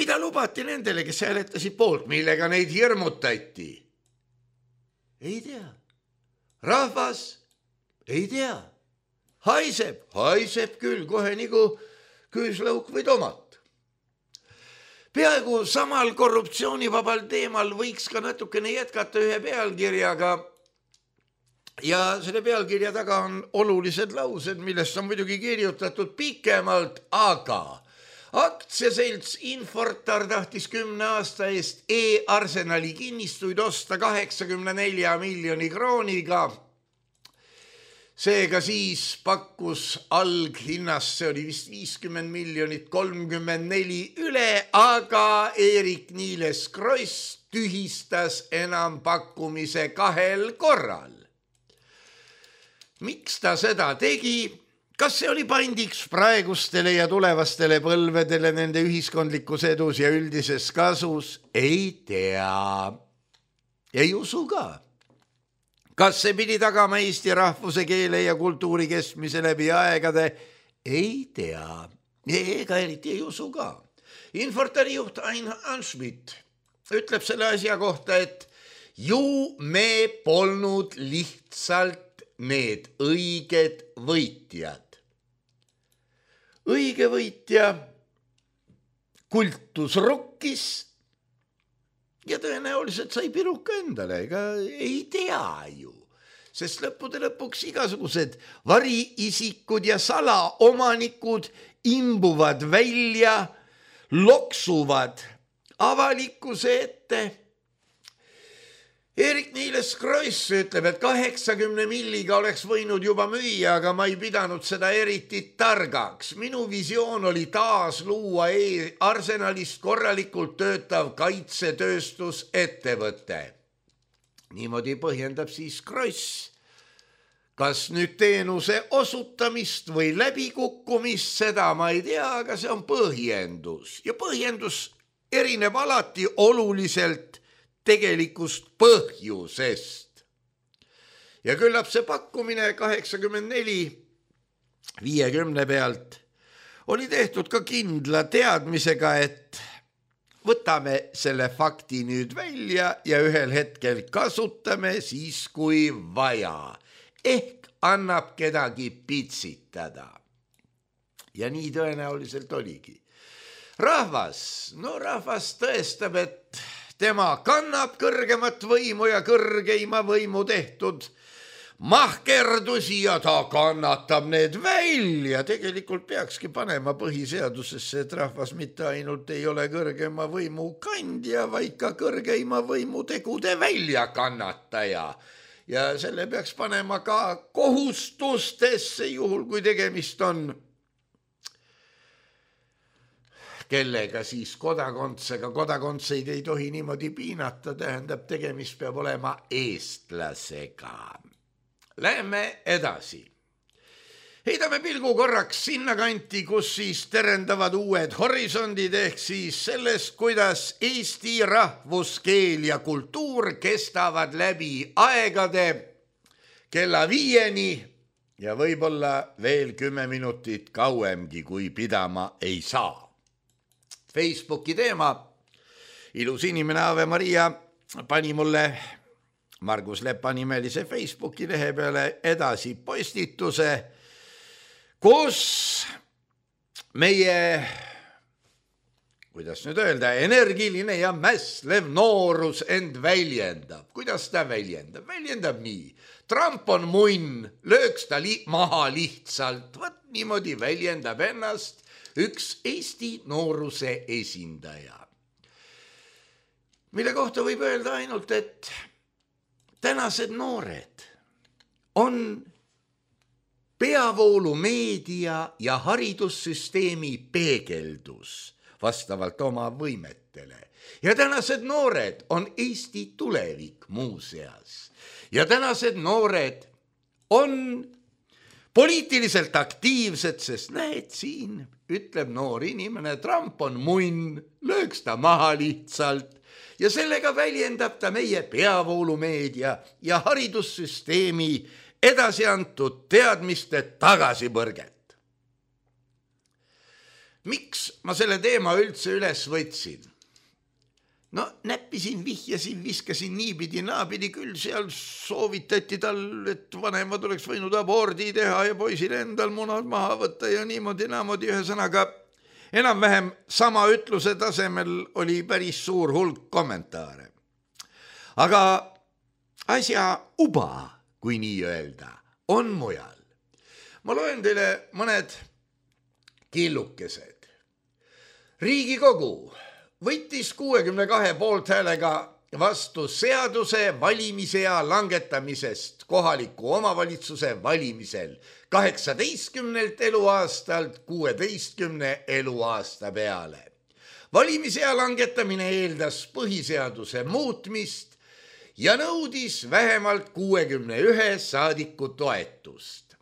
Mida lubati nendele, kes hääletasid poolt, millega neid hirmutati? Ei tea. Rahvas ei tea. Haiseb küll kohe nagu küüslauk või tomat. Peaaegu samal korruptsioonivabal teemal võiks ka natukene jätkata ühe pealkirjaga ja selle pealkirja taga on olulised laused, millest on muidugi kirjutatud pikemalt, aga aktsiaselts Infortar tahtis 10 aasta eest e-Arsenali kinnistuid osta 84 miljoni krooniga. Seega siis pakkus alghinnast, see oli vist 50 miljonit, 34 üle, aga Eerik-Niiles Kross tühistas enampakkumise 2 korral. Miks ta seda tegi? Kas see oli pandiks praegustele ja tulevastele põlvedele nende ühiskondlikus edus ja üldises kasus? Ei tea. Ei usu ka. Kas see pidi tagama Eesti rahvuse, keele ja kultuuri kestmise läbi aegade? Ei tea. Ega eriti ei usu ka. Infortari juht Ain Anschmidt ütleb selle asja kohta, et ju me polnud lihtsalt need õiged võitjad. Õige võitja kultus rokkis ja tõenäoliselt sai piruka endale, ega ei tea ju, sest lõppude lõpuks igasugused variisikud ja salaomanikud imbuvad välja, loksuvad avalikkuse ette. Eerik-Niiles Kross ütleb, et 80 milliga oleks võinud juba müüa, aga ma ei pidanud seda eriti targaks. Minu visioon oli taas luua Arsenalist korralikult töötav kaitsetööstusettevõte. Niimoodi põhjendab siis Kross. Kas nüüd teenuse osutamist või läbikukkumist, seda ma ei tea, aga see on põhjendus. Ja põhjendus erineb alati oluliselt tegelikust põhjusest. Ja küllap see pakkumine 84 50 pealt oli tehtud ka kindla teadmisega, et võtame selle fakti nüüd välja ja ühel hetkel kasutame siis, kui vaja. Ehk annab kedagi pitsitada. Ja nii tõenäoliselt oligi. rahvas tõestab, et tema kannab kõrgemat võimu ja kõrgeima võimu tehtud mahkerdusi ja ta kannatab need välja. Tegelikult peakski panema põhiseadusesse, et rahvas mitte ainult ei ole kõrgema võimu kandja, vaid ka kõrgeima võimu tegude väljakannataja. Ja selle peaks panema ka kohustustesse, juhul kui tegemist on kellega siis kodakondsega. Kodakondseid ei tohi niimoodi piinata, tähendab, tegemist peab olema eestlasega. Läheme edasi. Heidame pilgu korraks sinna kanti, kus siis terendavad uued horisondid, ehk siis sellest, kuidas Eesti rahvuskeel ja kultuur kestavad läbi aegade kella 5-ni ja võib-olla veel 10 minutit kauemgi, kui pidama ei saa. Facebooki teema, ilus inimene Ave Maria pani mulle Margus Lepa nimelise Facebooki lehe peale edasi postituse, kus meie, kuidas nüüd öelda, energiline ja mässlev noorus end väljendab. Kuidas ta väljendab? Väljendab nii. Trump on munn, lööks ta maha lihtsalt. Võt niimoodi väljendab ennast üks Eesti nooruse esindaja, mille kohta võib öelda ainult, et tänased noored on peavoolumeedia ja haridussüsteemi peegeldus vastavalt oma võimetele. Ja tänased noored on Eesti tulevik muuseas. Ja tänased noored on poliitiliselt aktiivsed, sest näed siin, ütleb noor inimene, Trump on munn, lööks ta maha lihtsalt ja sellega väljendab ta meie peavoolumeedia ja haridussüsteemi edasi antud teadmiste tagasipõrget. Miks ma selle teema üldse üles võtsin? No näppisin, vihjasin, viskasin niipidi, naapidi, küll seal soovitati tal, et vanemad oleks võinud abordi teha ja poisil endal munad maha võtta ja niimoodi, ühesõnaga enam-vähem sama ütluse tasemel oli päris suur hulk kommentaare. Aga asja uba, kui nii öelda, on mujal. Ma loen teile mõned killukesed. Riigikogu võttis 62 poolthäälega vastu seaduse valimisea langetamisest kohaliku omavalitsuse valimisel 18 eluaastalt 16 eluaasta peale. Valimisea langetamine eeldas põhiseaduse muutmist ja nõudis vähemalt 61 saadiku toetust.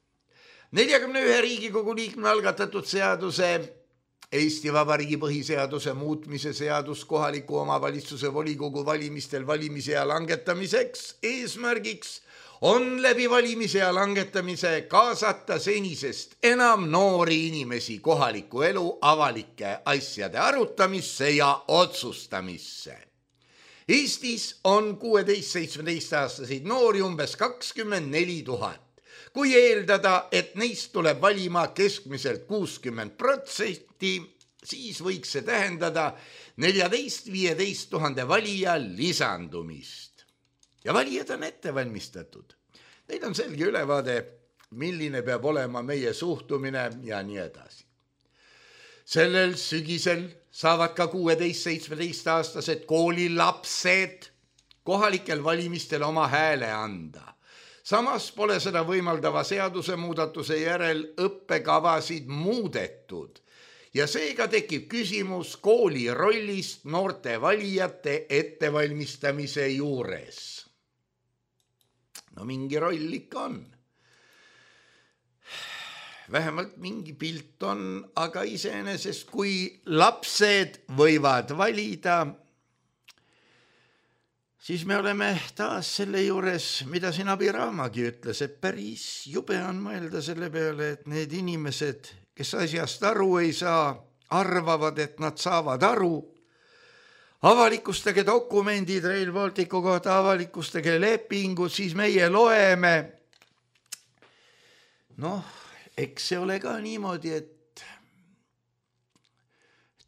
41 Riigikogu liikme algatatud seaduse Eesti Vabariigi põhiseaduse muutmise seadus kohaliku omavalitsuse volikogu valimistel valimisea langetamiseks eesmärgiks on läbi valimisea langetamise kaasata senisest enam noori inimesi kohaliku elu avalike asjade arutamisse ja otsustamisse. Eestis on 16-17-aastaseid noori umbes 24 000. Kui eeldada, et neist tuleb valima keskmiselt 60%, siis võiks see tähendada 14-15 000 valija lisandumist. Ja valijad on ette valmistatud. Neil on selge ülevaade, milline peab olema meie suhtumine ja nii edasi. Sellel sügisel saavad ka 16-17-aastased koolilapsed kohalikel valimistel oma hääle anda. Samas pole seda võimaldava seadusemuudatuse järel õppekavasid muudetud ja seega tekib küsimus kooli rollist noorte valijate ettevalmistamise juures. No mingi roll ikka on. Vähemalt mingi pilt on, aga iseenesest kui lapsed võivad valida, siis me oleme taas selle juures, mida siin Abiraamagi ütles, et päris jube on mõelda selle peale, et need inimesed, kes asjast aru ei saa, arvavad, et nad saavad aru. Avalikustage dokumendid Rail Balticu kohta, avalikustage lepingud, siis meie loeme. Noh, eks see ole ka niimoodi, et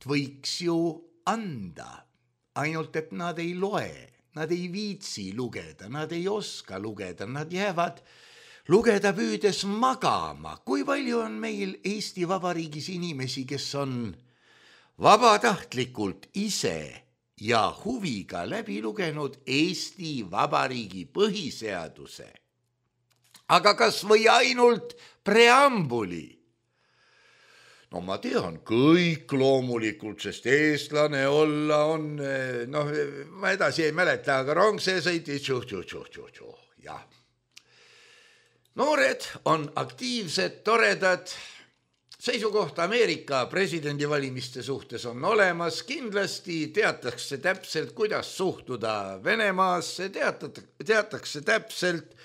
võiks ju anda, ainult et nad ei loe, nad ei viitsi lugeda, nad ei oska lugeda, nad jäävad lugeda püüdes magama. Kui palju on meil Eesti Vabariigis inimesi, kes on vabatahtlikult ise ja huviga läbi lugenud Eesti Vabariigi põhiseaduse, aga kas või ainult preambuli? No ma tean, kõik loomulikult, sest eestlane olla on, ma edasi ei mäleta, aga rong see sõitis, jah. Noored on aktiivsed, toredad, seisukoht Ameerika presidendivalimiste suhtes on olemas, kindlasti teatakse täpselt, kuidas suhtuda Venemaasse, teatakse täpselt,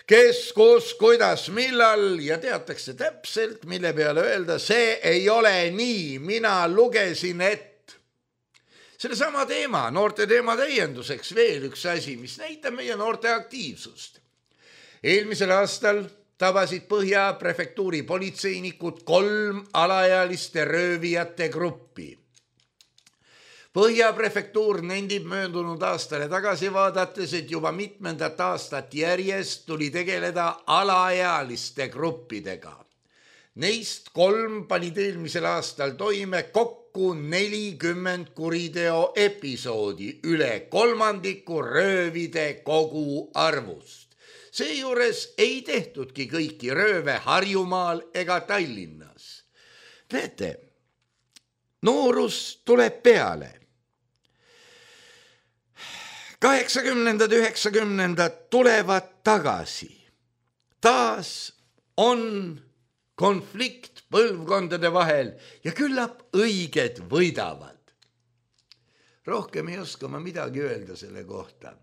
kes, kus, kuidas, millal ja teatakse täpselt, mille peale öelda, see ei ole nii, mina lugesin ette. Selle sama teema, noorte teema täienduseks veel üks asi, mis näitab meie noorte aktiivsust. Eelmisel aastal tabasid Põhja prefektuuri politseinikud 3 alaealiste röövijate gruppi. Põhja prefektuur nendib möödunud aastale tagasi vaadates, et juba mitmendat aastat järjest tuli tegeleda alaealiste gruppidega. Neist 3 panid eelmisel aastal toime kokku 40 kuriteo episoodi, üle 1/3 röövide kogu arvust. Seejuures ei tehtudki kõiki rööve Harjumaal ega Tallinnas. Näete, noorus tuleb peale. 80-ndad, 90-ndad tulevad tagasi. Taas on konflikt põlvkondade vahel ja küllap õiged võidavad. Rohkem ei oska ma midagi öelda selle kohta,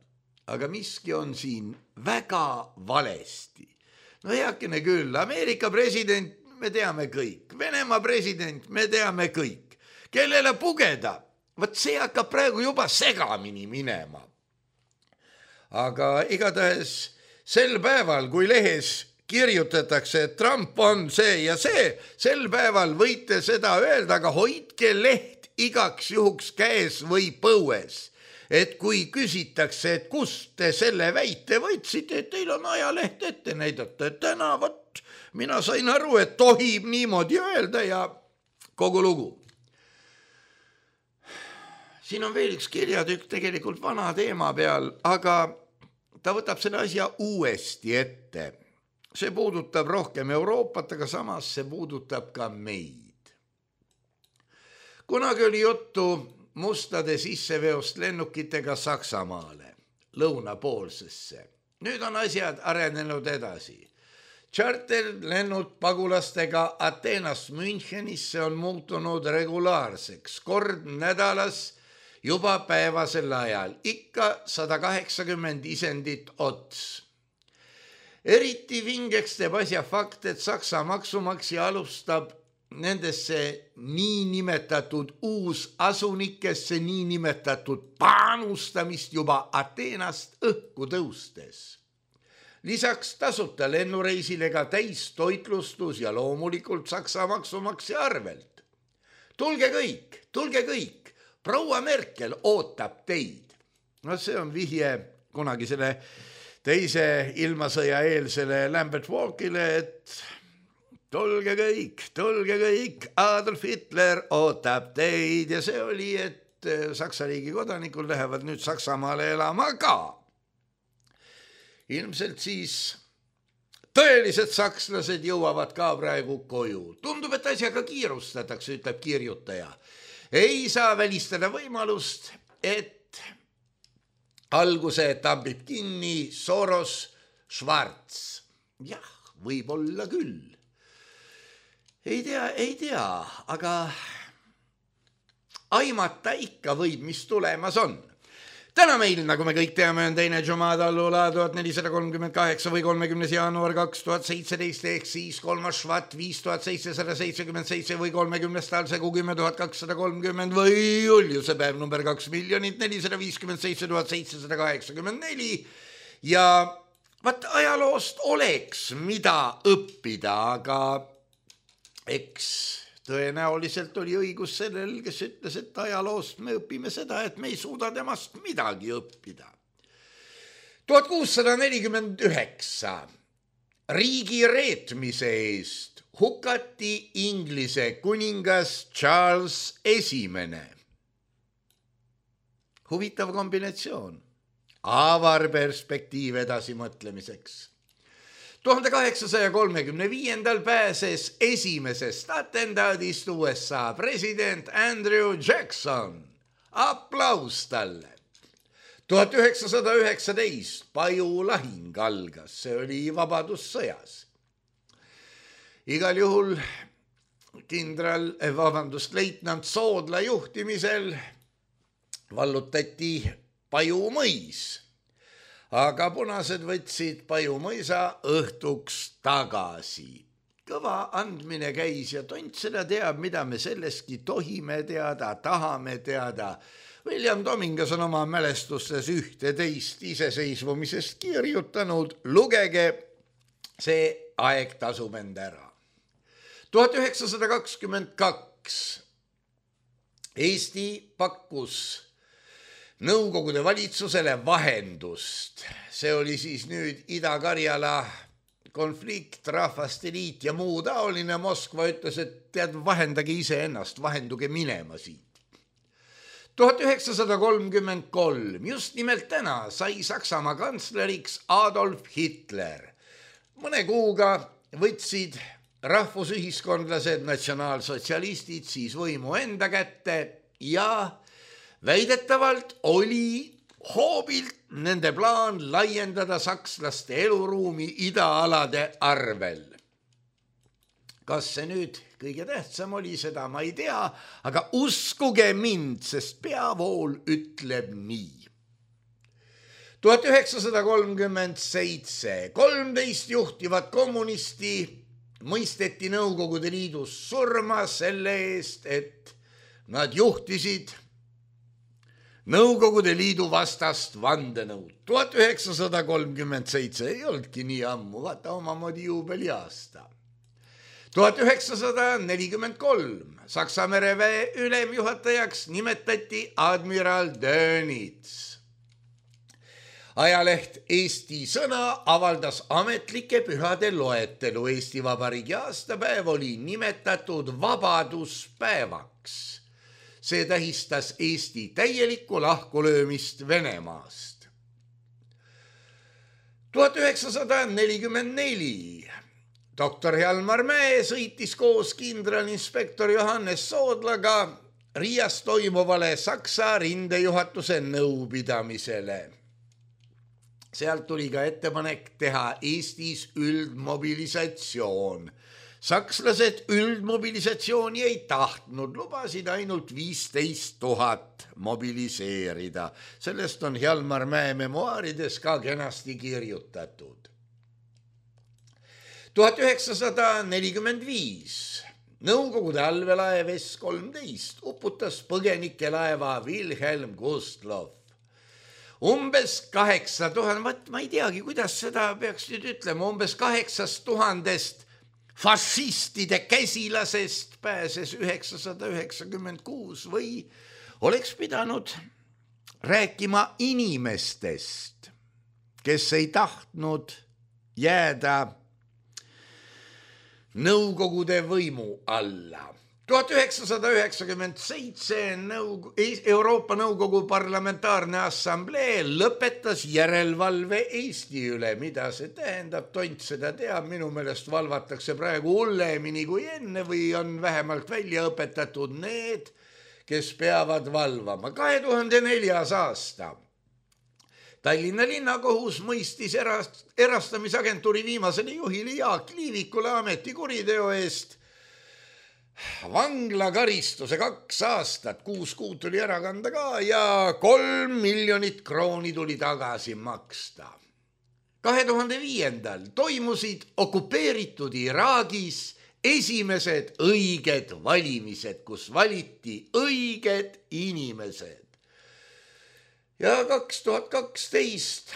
aga miski on siin väga valesti. No heakene küll, Ameerika president me teame kõik, Venemaa president me teame kõik, kellele pugeda, võt see hakkab praegu juba segamini minema. Aga igatahes sel päeval, kui lehes kirjutatakse, et Trump on see ja see, sel päeval võite seda öelda, aga hoidke leht igaks juhuks käes või põues. Et kui küsitakse, et kust te selle väite võtsite, et teil on ajaleht ette näidata, et täna võt, mina sain aru, et tohib niimoodi öelda ja kogu lugu. Siin on veel üks kirjatükk tegelikult vana teema peal, aga ta võtab selle asja uuesti ette. See puudutab rohkem Euroopat, aga samas see puudutab ka meid. Kunagi oli juttu mustade sisseveost lennukitega Saksamaale, lõunapoolsesse. Nüüd on asjad arenenud edasi. Charterlennud pagulastega Ateenast Münchenisse on muutunud regulaarseks, kord nädalas, juba päevasel ajal, ikka 180 isendit ots. Eriti vingeks teeb asja fakt, et Saksa maksumaksja alustab nendesse niinimetatud uusasunikesse niinimetatud panustamist juba Ateenast õhku tõustes. Lisaks tasuta lennureisile ka täistoitlustus ja loomulikult Saksa maksumaksja arvelt. Tulge kõik. Proua Merkel ootab teid. No see on vihje kunagi selle teise ilmasõja eelsele Lambert Walkile, et tulge kõik, Adolf Hitler ootab teid ja see oli, et Saksa riigi kodanikud lähevad nüüd Saksamaale elama ka. Ilmselt siis tõelised sakslased jõuavad ka praegu koju. Tundub, et asjaga kiirustatakse, ütleb kirjutaja. Ei saa välistada võimalust, et alguse tambib kinni Soros Schwarz. Jah, võib olla küll. Ei tea, aga aimata ikka võib, mis tulemas on. Täna meil, nagu me kõik teame, on 2. Jumada Allula 1438 või 30. jaanuar 2017 ehk siis 3. Švat 5777 või 30. talsegu 10230 või Juliuse päev number 2 457 784 ja vaat ajaloost oleks mida õppida, aga eks Tõenäoliselt oli õigus sellel, kes ütles, et ajaloost me õpime seda, et me ei suuda temast midagi õppida. 1649 riigi reetmise eest hukati Inglise kuningas Charles I. Huvitav kombinatsioon, avar perspektiiv edasimõtlemiseks. 1835 pääses esimesest atendaadist USA president Andrew Jackson. Aplaus talle. 1919 Paju lahing algas, see oli vabadussõjas. Igal juhul leitnant Soodla juhtimisel vallutati Paju mõis, aga punased võtsid Paju mõisa õhtuks tagasi. Kõva andmine käis ja tont seda teab, mida me sellestki tohime teada, tahame teada. William Domingas on oma mälestustes ühte teist iseseisvumisest kirjutanud. Lugege, see aeg tasub end ära. 1922 Eesti pakkus Nõukogude valitsusele vahendust. See oli siis nüüd Ida-Karjala konflikt, rahvaste liit ja muu taoline. Moskva ütles, et tead, vahendage iseennast, vahenduge minema siit. 1933, just nimelt täna, sai Saksamaa kantsleriks Adolf Hitler. Mõne kuuga võtsid rahvusühiskondlased, natsionaalsotsialistid siis võimu enda kätte ja väidetavalt oli hoobilt nende plaan laiendada sakslaste eluruumi idaalade arvel. Kas see nüüd kõige tähtsam oli, seda ma ei tea, aga uskuge mind, sest peavool ütleb nii. 1937 13 juhtivat kommunisti mõisteti Nõukogude Liidus surma selle eest, et nad juhtisid Nõukogude Liidu vastast vandenõud. 1937 ei olnudki nii ammu, vaata omamoodi juubeliaasta. 1943 Saksa mereväe ülemjuhatajaks nimetati admiral Dönitz. Ajaleht Eesti Sõna avaldas ametlike pühade loetelu. Eesti Vabariigi aastapäev oli nimetatud vabaduspäevaks. See tähistas Eesti täielikku lahkulöömist Venemaast. 1944 doktor Hjalmar Mäe sõitis koos kindralinspektor Johannes Soodlaga Riias toimuvale Saksa rindejuhatuse nõupidamisele. Sealt tuli ka ettepanek teha Eestis üldmobilisatsioon. Sakslased üldmobilisatsiooni ei tahtnud, lubasid ainult 15 000 mobiliseerida. Sellest on Hjalmar Mäe memuaarides ka kenasti kirjutatud. 1945 Nõukogude allveelaev S-13 uputas põgenikelaeva Wilhelm Gustloff. Umbes 8000, ma ei teagi, kuidas seda peaks nüüd ütlema, umbes 8000 fašistide käsilasest pääses 996 või oleks pidanud rääkima inimestest, kes ei tahtnud jääda Nõukogude võimu alla. 1997 Euroopa Nõukogu Parlamentaarne Assamblee lõpetas järelevalve Eesti üle. Mida see tähendab, tont seda teab, minu meelest valvatakse praegu hullemini kui enne või on vähemalt välja õpetatud need, kes peavad valvama. 2004. aasta Tallinna linnakohus mõistis erastamisagentuuri viimasele juhile Jaak Liivikule ametikuriteo eest vanglakaristuse 2 aastat, 6 kuud tuli ära kanda ka ja 3 miljonit krooni tuli tagasi maksta. 2005. toimusid okupeeritud Iraagis esimesed õiged valimised, kus valiti õiged inimesed. Ja 2012,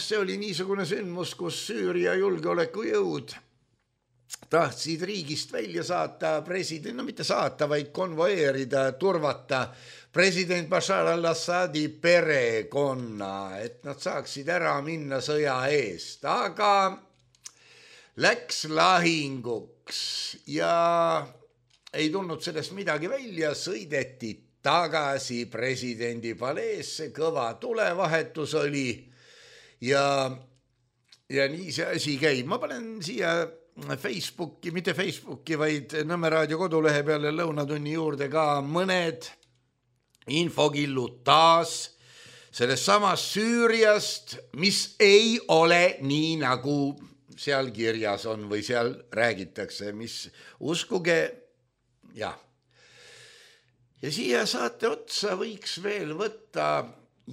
see oli niisugune sündmus, kus Süüria julgeolekujõud tahtsid riigist välja saata president, no mitte saata, vaid konvoeerida, turvata president Bashar al-Assadi perekonna, et nad saaksid ära minna sõja eest, aga läks lahinguks ja ei tulnud sellest midagi välja, sõideti tagasi presidendi paleesse, kõva tulevahetus oli ja nii see asi käib. Ma panen siia Facebooki, mitte Facebooki, vaid Nõmme raadio kodulehe peale lõunatunni juurde ka mõned infokillud taas sellest samast Süüriast, mis ei ole nii, nagu seal kirjas on või seal räägitakse, mis uskuge, jah. Ja siia saate otsa võiks veel võtta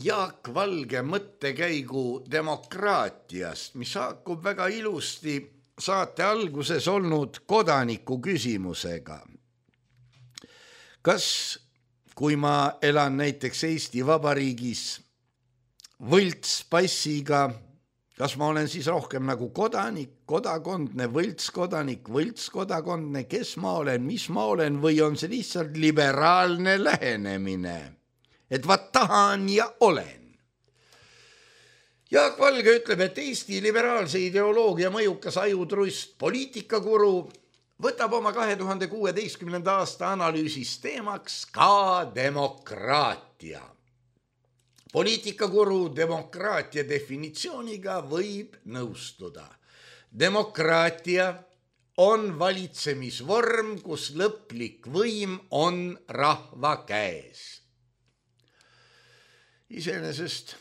Jaak Valge mõttekäigu demokraatiast, mis haakub väga ilusti saate alguses olnud kodaniku küsimusega. Kas, kui ma elan näiteks Eesti Vabariigis võltspassiga, kas ma olen siis rohkem nagu kodanik, kodakondne, võltskodakondne, kes ma olen, mis ma olen, või on see lihtsalt liberaalne lähenemine, et vaat tahan ja olen? Jaak Valge ütleb, et Eesti liberaalse ideoloogia mõjukas ajutrust poliitikakuru võtab oma 2016. aasta analüüsis teemaks ka demokraatia. Poliitikakuru demokraatia definitsiooniga võib nõustuda. Demokraatia on valitsemisvorm, kus lõplik võim on rahva käes. Iseenesest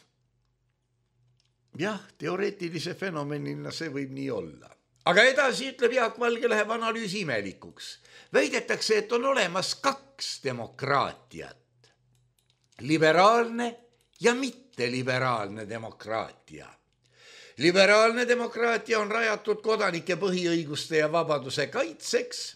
jah, teoreetilise fenomenina see võib nii olla. Aga edasi ütleb Jaak Valge, läheb analüüsi imelikuks. Väidetakse, et on olemas 2 demokraatiat. Liberaalne ja mitteliberaalne demokraatia. Liberaalne demokraatia on rajatud kodanike põhiõiguste ja vabaduse kaitseks,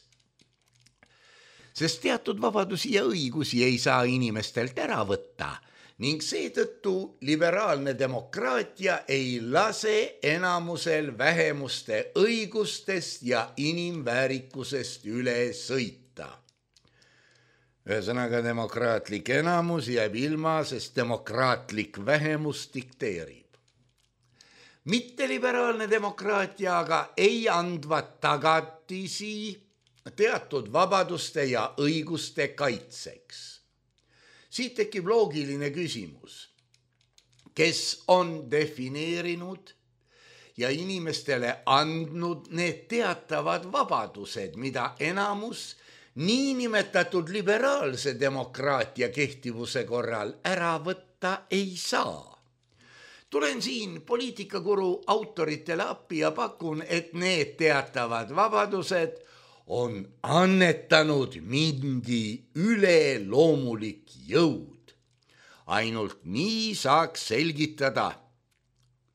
sest teatud vabadusi ja õigusi ei saa inimestelt ära võtta, ning seetõttu liberaalne demokraatia ei lase enamusel vähemuste õigustest ja inimväärikusest üle sõita. Ühesõnaga, demokraatlik enamus jääb ilma, sest demokraatlik vähemus dikteerib. Mitteliberaalne demokraatia aga ei andva tagatisi teatud vabaduste ja õiguste kaitseks. Siit tekib loogiline küsimus, kes on defineerinud ja inimestele andnud need teatavad vabadused, mida enamus niinimetatud liberaalse demokraatia kehtivuse korral ära võtta ei saa. Tulen siin poliitikakuru autoritele appi ja pakun, et need teatavad vabadused on annetanud mingi üleloomulik jõud. Ainult nii saaks selgitada,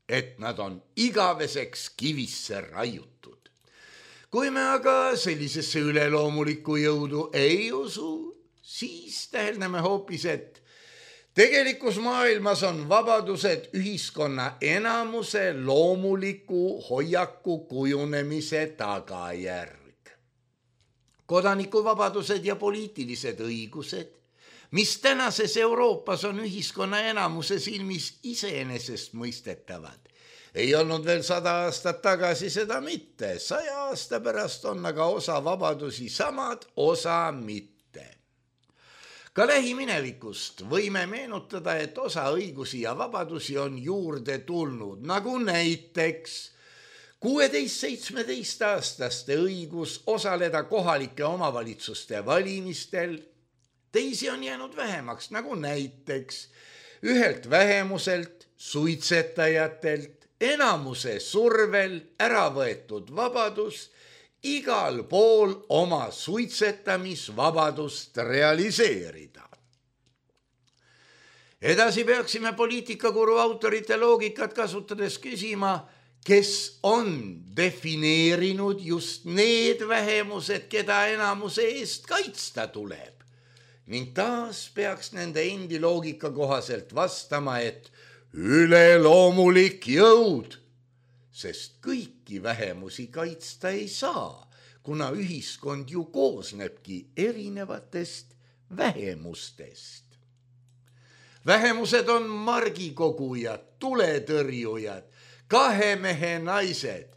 et nad on igaveseks kivisse raiutud. Kui me aga sellisesse üleloomulikku jõudu ei usu, siis täheldame hoopis, et tegelikus maailmas on vabadused ühiskonna enamuse loomuliku hoiaku kujunemise tagajärg. Kodanikuvabadused ja poliitilised õigused, mis tänases Euroopas on ühiskonna enamuse silmis iseenesest mõistetavad, ei olnud veel 100 aastat tagasi seda mitte. 100 aasta pärast on aga osa vabadusi samad, osa mitte. Ka lähiminevikust võime meenutada, et osa õigusi ja vabadusi on juurde tulnud, nagu näiteks 16-17 aastaste õigus osaleda kohalike omavalitsuste valimistel. Teisi on jäänud vähemaks, nagu näiteks ühelt vähemuselt, suitsetajatelt, enamuse survel ära võetud vabadus igal pool oma suitsetamisvabadust realiseerida. Edasi peaksime poliitikakuru autorite loogikat kasutades küsima, kes on defineerinud just need vähemused, keda enamuse eest kaitsta tuleb. Ning taas peaks nende endi loogika kohaselt vastama, et üleloomulik jõud, sest kõiki vähemusi kaitsta ei saa. kuna ühiskond ju koosnebki erinevatest vähemustest. Vähemused on margikogujad, tuletõrjujad, kahemehe naised.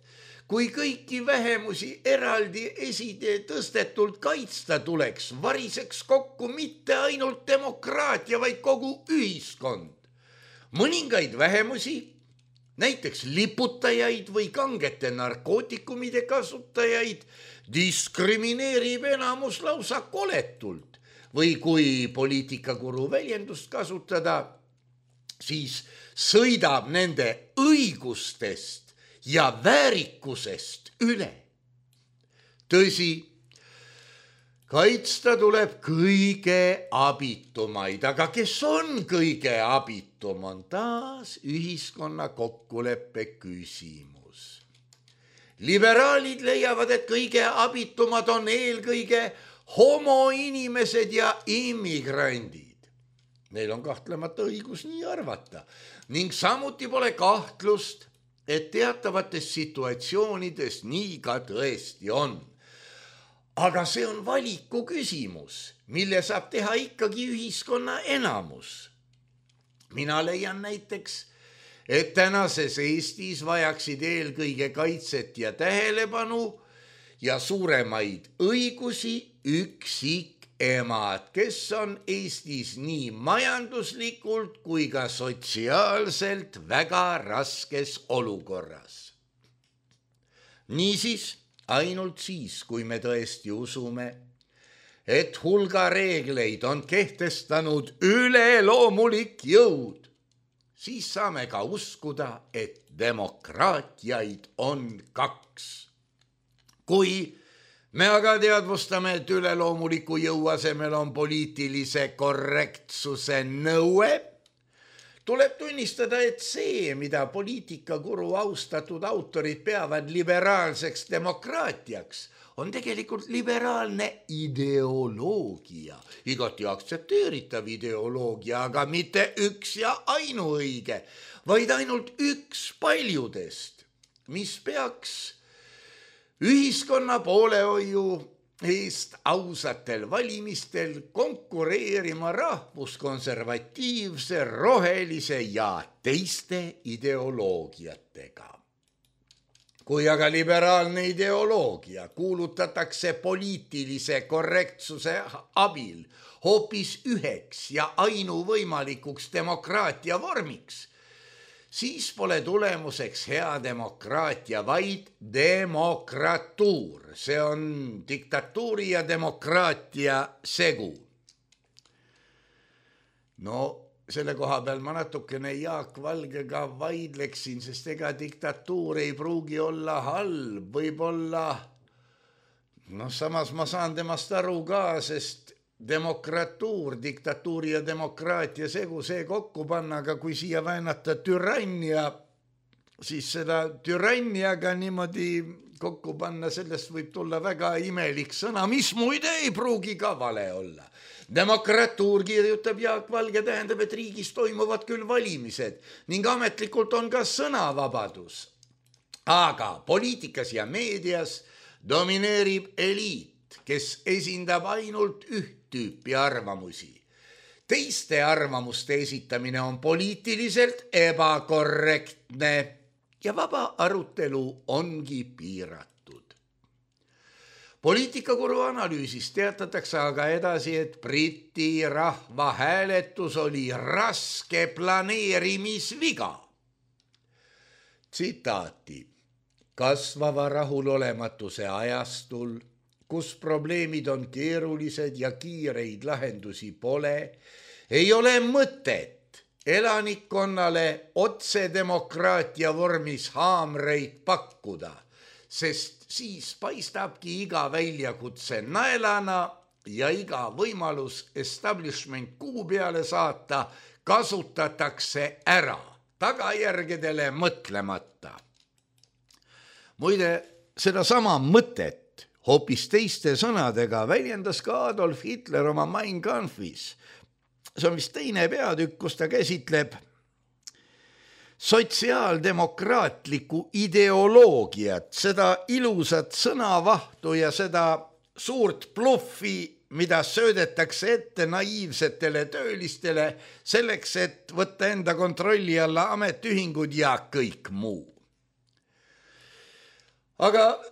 Kui kõiki vähemusi eraldi eside tõstetult kaitsta tuleks, variseks kokku mitte ainult demokraatia, vaid kogu ühiskond. Mõningaid vähemusi, näiteks liputajaid või kangete narkootikumide kasutajaid, diskrimineerib enamus lausa koletult. Või kui poliitikakuru väljendust kasutada, siis sõidab nende õigustest ja väärikusest üle. Tõsi, kaitsta tuleb kõige abitumaid, aga kes on kõige abitum, on taas ühiskonna kokkuleppe küsimus. Liberaalid leiavad, et kõige abitumad on eelkõige homoinimesed ja immigrandid. Neil on kahtlemata õigus nii arvata ning samuti pole kahtlust, et teatavates situatsioonides nii ka tõesti on. Aga see on valiku küsimus, mille saab teha ikkagi ühiskonna enamus. Mina leian näiteks, et tänases Eestis vajaksid eelkõige kaitset ja tähelepanu ja suuremaid õigusi üksikemad, kes on Eestis nii majanduslikult kui ka sotsiaalselt väga raskes olukorras. Niisiis, ainult siis, kui me tõesti usume, et hulga reegleid on kehtestanud üleloomulik jõud, siis saame ka uskuda, et demokraatiaid on kaks. Kui me aga teadvustame, et üleloomuliku jõu asemel on poliitilise korrektsuse nõue, tuleb tunnistada, et see, mida poliitikakuru austatud autorid peavad liberaalseks demokraatiaks, on tegelikult liberaalne ideoloogia, igati aktsepteeritav ideoloogia, aga mitte üks ja ainuõige, vaid ainult üks paljudest, mis peaks ühiskonna poolehoiu eest ausatel valimistel konkureerima rahvuskonservatiivse, rohelise ja teiste ideoloogiatega. Kui aga liberaalne ideoloogia kuulutatakse poliitilise korrektsuse abil hoopis üheks ja ainuvõimalikuks demokraatia vormiks, siis pole tulemuseks hea demokraatia, vaid demokratuur. See on diktatuuri ja demokraatia segu. No, selle koha peal ma natukene Jaak Valgega vaidleksin, sest ega diktatuur ei pruugi olla halb, võib-olla, samas ma saan temast aru ka, sest demokratuur, diktatuuri ja demokraatia segu, see kokku panna, aga kui siia väänata türannia, siis seda türanniaga niimoodi kokku panna, sellest võib tulla väga imelik sõna, mis muide ei pruugi ka vale olla. Demokratuur, kirjutab Jaak Valge, tähendab, et riigis toimuvad küll valimised ning ametlikult on ka sõnavabadus. Aga poliitikas ja meedias domineerib eliit, kes esindab ainult üht tüüpi arvamusi. Teiste arvamuste esitamine on poliitiliselt ebakorrektne ja vaba arutelu ongi piiratud. Poliitikakuru analüüsis teatatakse aga edasi, et Briti rahvahääletus oli raske planeerimisviga. Tsitaati: kasvava rahulolematuse ajastul, kus probleemid on keerulised ja kiireid lahendusi pole, ei ole mõtet elanikkonnale otsedemokraatia vormis haamreid pakkuda, sest siis paistabki iga väljakutse naelana ja iga võimalus establishment kuu peale saata kasutatakse ära, tagajärgedele mõtlemata. Muide, sedasama mõtet hoopis teiste sõnadega väljendas ka Adolf Hitler oma Mein Kampfis. See on vist teine peatükk, kus ta käsitleb sotsiaaldemokraatlikku ideoloogiat, seda ilusat sõnavahtu ja seda suurt bluffi, mida söödetakse ette naiivsetele töölistele selleks, et võtta enda kontrolli alla ametiühingud ja kõik muu. Aga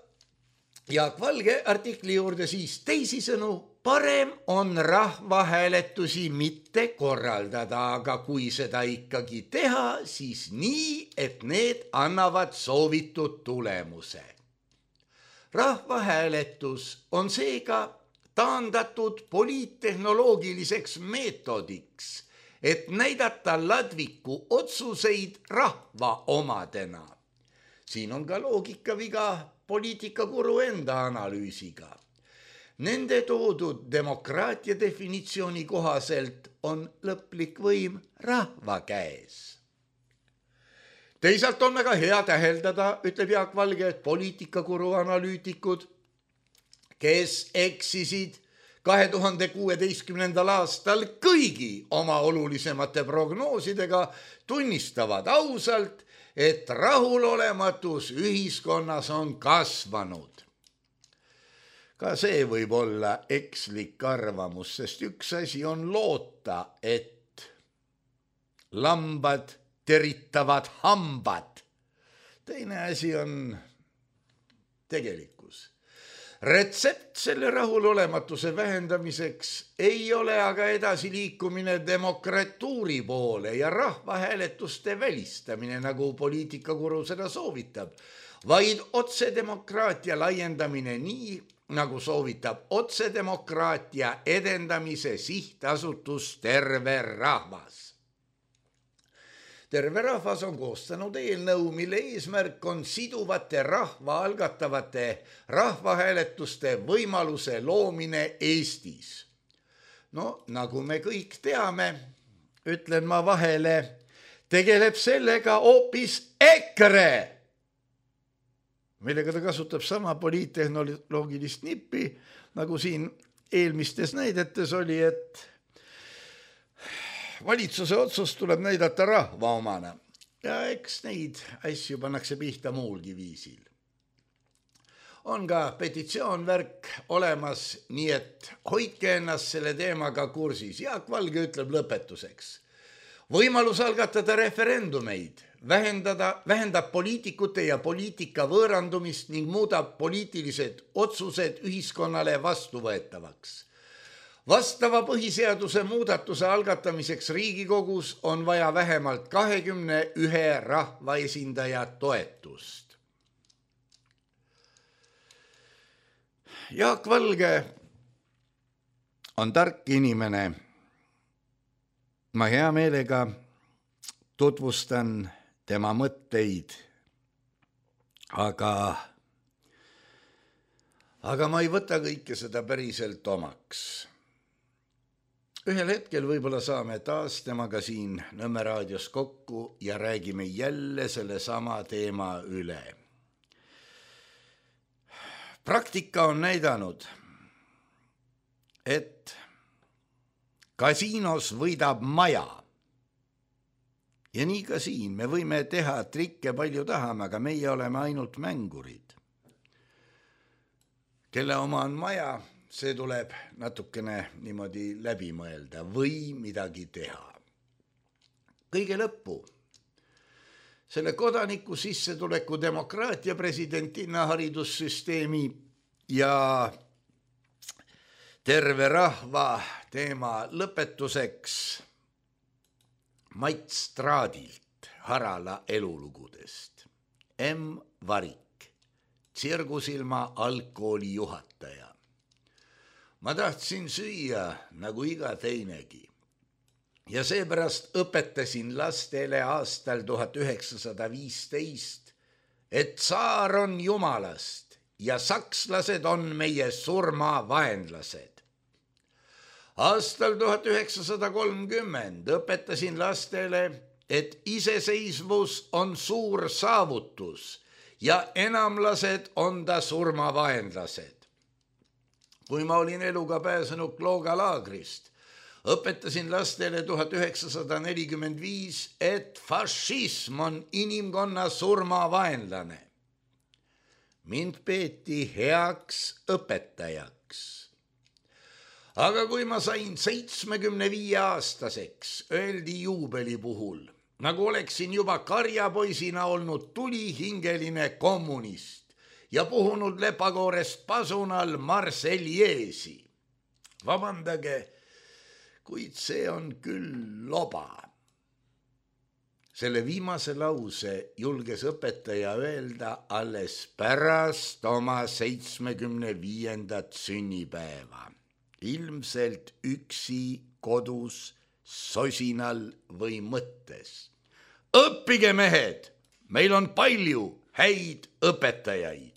Jaak Valge artikli juurde siis teisisõnu, parem on rahvahääletusi mitte korraldada, aga kui seda ikkagi teha, siis nii, et need annavad soovitud tulemuse. Rahvahääletus on seega taandatud poliittehnoloogiliseks meetodiks, et näidata ladviku otsuseid rahva omadena. Siin on ka loogikaviga poliitikakuru enda analüüsiga. Nende toodud demokraatia definitsiooni kohaselt on lõplik võim rahva käes. Teisalt on väga hea täheldada, ütleb Jaak Valge, et poliitikakuru analüütikud, kes eksisid 2016. aastal kõigi oma olulisemate prognoosidega, tunnistavad ausalt, et rahulolematus ühiskonnas on kasvanud. Ka see võib olla ekslik arvamus, sest üks asi on loota, et lambad teritavad hambad. Teine asi on tegelikkus. Retsept selle rahulolematuse vähendamiseks ei ole aga edasiliikumine demokratuuri poole ja rahvahääletuste välistamine, nagu poliitikakuru seda soovitab, vaid otsedemokraatia laiendamine nii, nagu soovitab otsedemokraatia edendamise sihtasutus Terve Rahvas. Terve Rahvas on koostanud eelnõu, mille eesmärk on siduvate rahva algatavate rahvahääletuste võimaluse loomine Eestis. No, nagu me kõik teame, ütlen ma vahele, tegeleb sellega hoopis EKRE, millega ta kasutab sama poliittehnoloogilist nippi, nagu siin eelmistes näidetes oli, et valitsuse otsus tuleb näidata rahva omana ja eks neid asju pannakse pihta muulgi viisil. On ka petitsioonvärk olemas, nii et hoidke ennast selle teemaga kursis. Jaak Valge ütleb lõpetuseks. Võimalus algatada referendumeid vähendab poliitikute ja poliitika võõrandumist ning muudab poliitilised otsused ühiskonnale vastuvõetavaks. Vastava põhiseaduse muudatuse algatamiseks Riigikogus on vaja vähemalt 21 rahvaesindaja toetust. Jaak Valge on tark inimene. Ma hea meelega tutvustan tema mõtteid, aga ma ei võta kõike seda päriselt omaks. Ühel hetkel võib-olla saame taas temaga siin Nõmme raadios kokku ja räägime jälle selle sama teema üle. Praktika on näidanud, et kasiinos võidab maja. Ja nii ka siin, me võime teha trikke palju tahame, aga meie oleme ainult mängurid. Kelle oma on maja, see tuleb natukene niimoodi läbi mõelda või midagi teha. Kõige lõppu, selle kodaniku sissetuleku demokraatia presidentina haridussüsteemi ja Terve Rahva teema lõpetuseks Mait Straadilt Harala elulugudest. M. Varik, Tsirgusilma algkooli juhataja. Ma tahtsin süüa nagu iga teinegi ja seepärast õpetasin lastele aastal 1915, et tsaar on jumalast ja sakslased on meie surmavaenlased. Aastal 1930 õpetasin lastele, et iseseisvus on suur saavutus ja enamlased on ta surmavaenlased. Kui ma olin eluga pääsenud Klooga laagrist, õpetasin lastele 1945, et fašism on inimkonna surmavaenlane. Mind peeti heaks õpetajaks. Aga kui ma sain 75-aastaseks, öeldi juubeli puhul, nagu oleksin juba karjapoisina olnud tulihingeline kommunist ja puhunud lepakoorest pasunal Marseljeesi. Vabandage, kuid see on küll loba. Selle viimase lause julges õpetaja öelda alles pärast oma 75. sünnipäeva. Ilmselt üksi kodus, sosinal või mõttes. Õppige, mehed, meil on palju häid õpetajaid.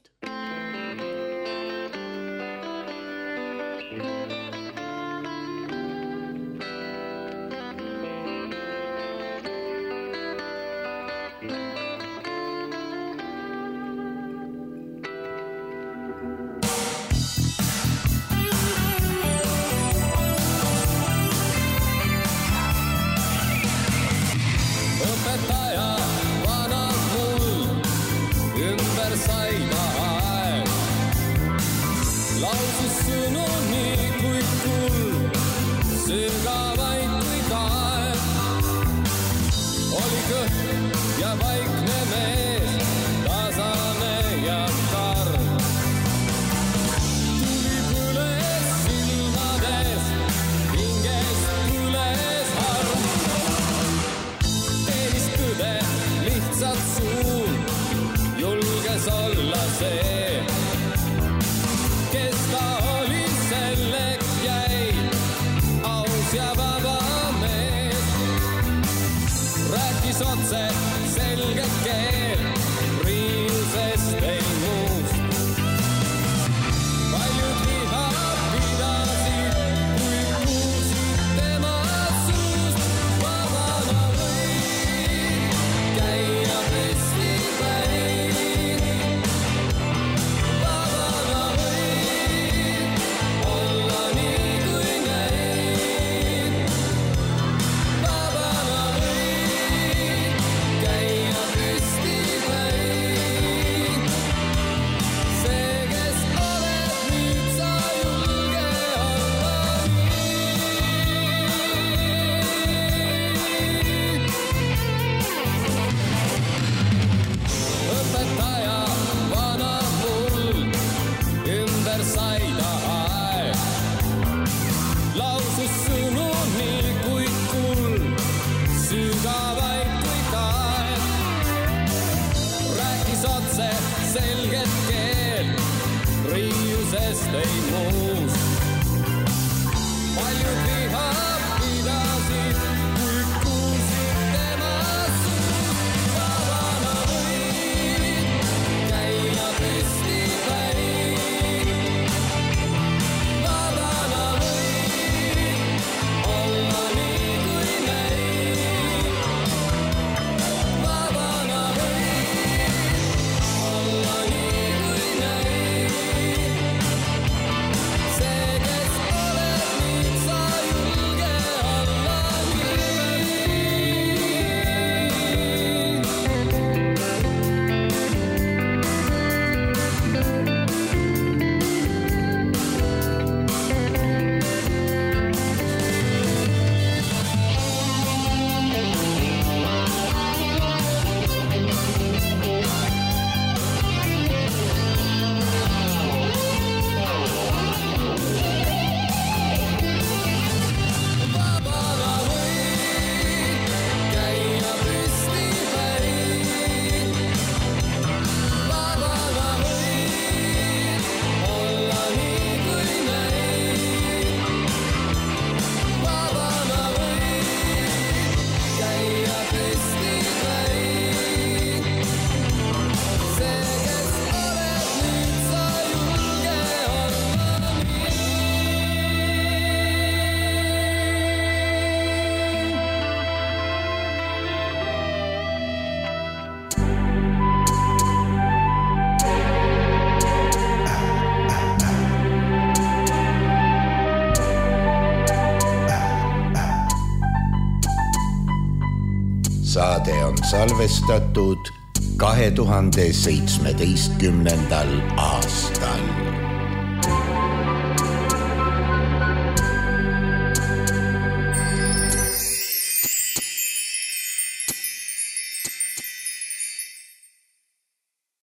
saade on salvestatud 2017. aastal.